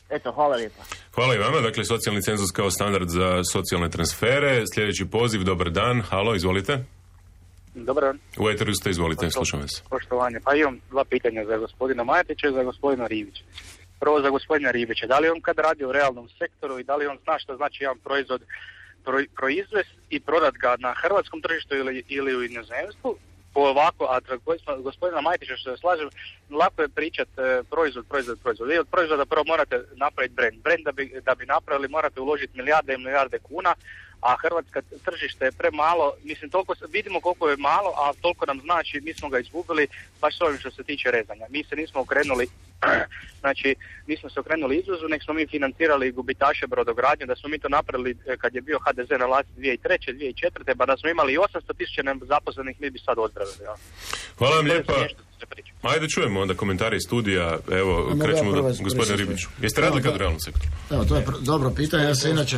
Eto, hvala lijepa. Hvala i vama, dakle, socijalni cenzus kao standard za socijalne transfere. Sljedeći poziv, dobar dan, halo, izvolite. Dobar dan. U eteru ste, izvolite, slušam vas. Poštovanje, pa imam dva pitanja za gospodina Majetića i za gospodina Ribića. Prvo za gospodina Ribića, da li on kad radi u realnom sektoru i da li on zna što znači jedan proizvod pro, proizvest i prodat ga na hrvatskom tržištu ili, ili u inozemstvu? Po ovako, a gospodina Majtića što se slažem, lako je pričati e, proizvod, proizvod, proizvod. Vi od proizvoda prvo morate napraviti brand. Brand da bi, da bi napravili morate uložiti milijarde i milijarde kuna, a hrvatsko tržište je premalo. Mislim, toliko vidimo koliko je malo, a toliko nam znači, mi smo ga izgubili baš s ovim što se tiče rezanja. Mi se nismo okrenuli, znači, nismo se okrenuli izvozu, nek smo mi financirali gubitaše brodogradnje, da smo mi to napravili kad je bio H D Z na vlasti dvije tisuće treće. dvije tisuće četvrte. Pa da smo imali osamsto tisuća zaposlenih, mi bi sad ozdravili. Ja. Hvala vam lijepa. Ajde čujemo onda komentari iz studija. Evo, A krećemo ja do gospodina Ribiću. Jeste radili kad u realnom sektoru? Evo, to je pr- dobro pitanje. Ja se inače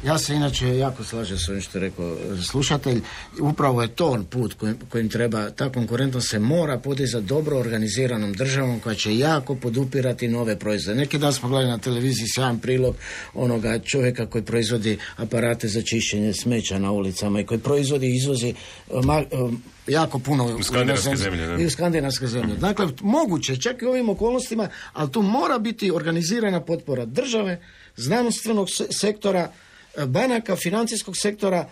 Ja se inače jako slažem s ovim što je rekao slušatelj. Upravo je to put kojim, kojim treba, ta konkurentnost se mora podizati dobro organiziranom državom koja će jako podupirati nove proizvode. Neki dan smo gledali na televiziji sjajan prilog onoga čovjeka koji proizvodi aparate za čišćenje smeća na ulicama i koji proizvodi i izvozi ma, jako puno u skandinavske zemlje, ne? I u skandinavske zemlje. Dakle, moguće, čak i u ovim okolnostima, ali tu mora biti organizirana potpora države, znanstvenog sektora, banaka, financijskog sektora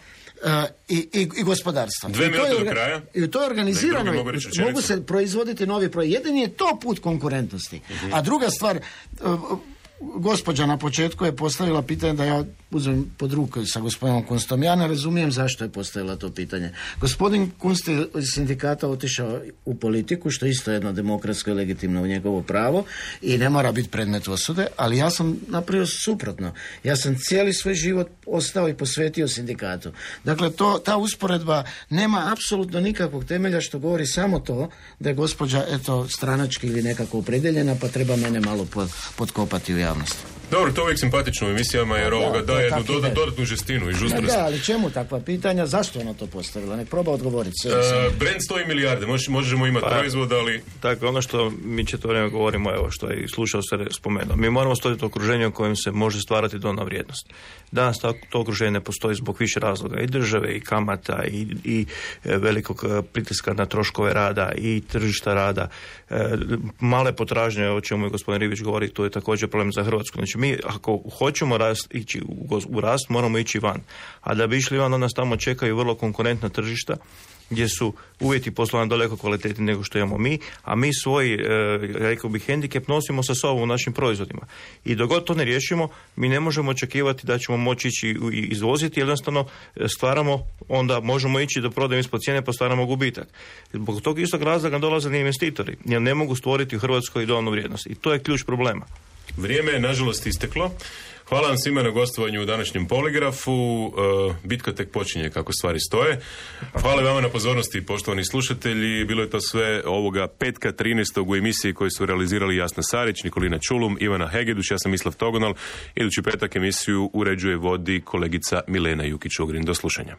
uh, i, i, i gospodarstva. Dve minute do orga- kraja. I to je organizirano. Mogu, mogu se proizvoditi novi proizvodi. Jedini je to put konkurentnosti. Uh-huh. A druga stvar, uh, gospođa na početku je postavila pitanje da ja uzmem pod ruku sa gospodinom Kunstom. Ja ne razumijem zašto je postavila to pitanje. Gospodin Kunst je iz sindikata otišao u politiku, što isto je jedno demokratsko i legitimno njegovo pravo i ne mora biti predmet osude, ali ja sam napravio suprotno. Ja sam cijeli svoj život ostao i posvetio sindikatu. Dakle, to, ta usporedba nema apsolutno nikakvog temelja, što govori samo to da je gospođa eto stranački ili nekako opredeljena, pa treba mene malo pod, podkopati u javnosti. Dobro, to je uvijek simpatično u emisijama jer da, ovoga daje jednu doda, dodatnu žestinu i žustrost. Da, ali čemu takva pitanja? Zašto ona to postavila? Nek proba odgovoriti. Uh, brand stoji milijarde, Mož, možemo imati pa, proizvod, ali... Dakle, ono što mi četvrto vrijeme govorimo, evo što je slušao se spomenuo, mi moramo stojiti u okruženju u kojem se može stvarati dodana vrijednost. Danas to, to okruženje ne postoji zbog više razloga, i države, i kamata, i, i velikog pritiska na troškove rada, i tržišta rada, e, male potražnje, o čemu je gospodin Ribić govori, to je također problem za Hrvatsku. Znači, mi ako hoćemo rast, ići u, u rast, moramo ići van. A da bi išli van, onda nas tamo čekaju vrlo konkurentna tržišta, gdje su uvjeti poslovanja daleko kvalitetniji nego što imamo mi, a mi svoj, e, rekao bih, hendikep nosimo sa sobom u našim proizvodima. I dok god to ne riješimo, mi ne možemo očekivati da ćemo moći ići izvoziti, jednostavno stvaramo, onda možemo ići da prodajemo ispod cijene, pa stvaramo gubitak. Zbog tog istog razloga dolaze ni investitori, jer ne mogu stvoriti u Hrvatskoj dodanu vrijednost. I to je ključ problema. Vrijeme je nažalost isteklo. Hvala vam svima na gostovanju u današnjem Poligrafu. Uh, bitka tek počinje kako stvari stoje. Hvala vama na pozornosti, poštovani slušatelji. Bilo je to sve ovoga petka trinaestog u emisiji koju su realizirali Jasna Sarić, Nikolina Čulum, Ivana Hegeduć, ja sam Mislav Togonal. Idući petak emisiju uređuje vodi kolegica Milena Jukić-Ogrin. Do slušanja.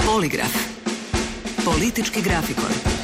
Poligraf. Politički grafikon.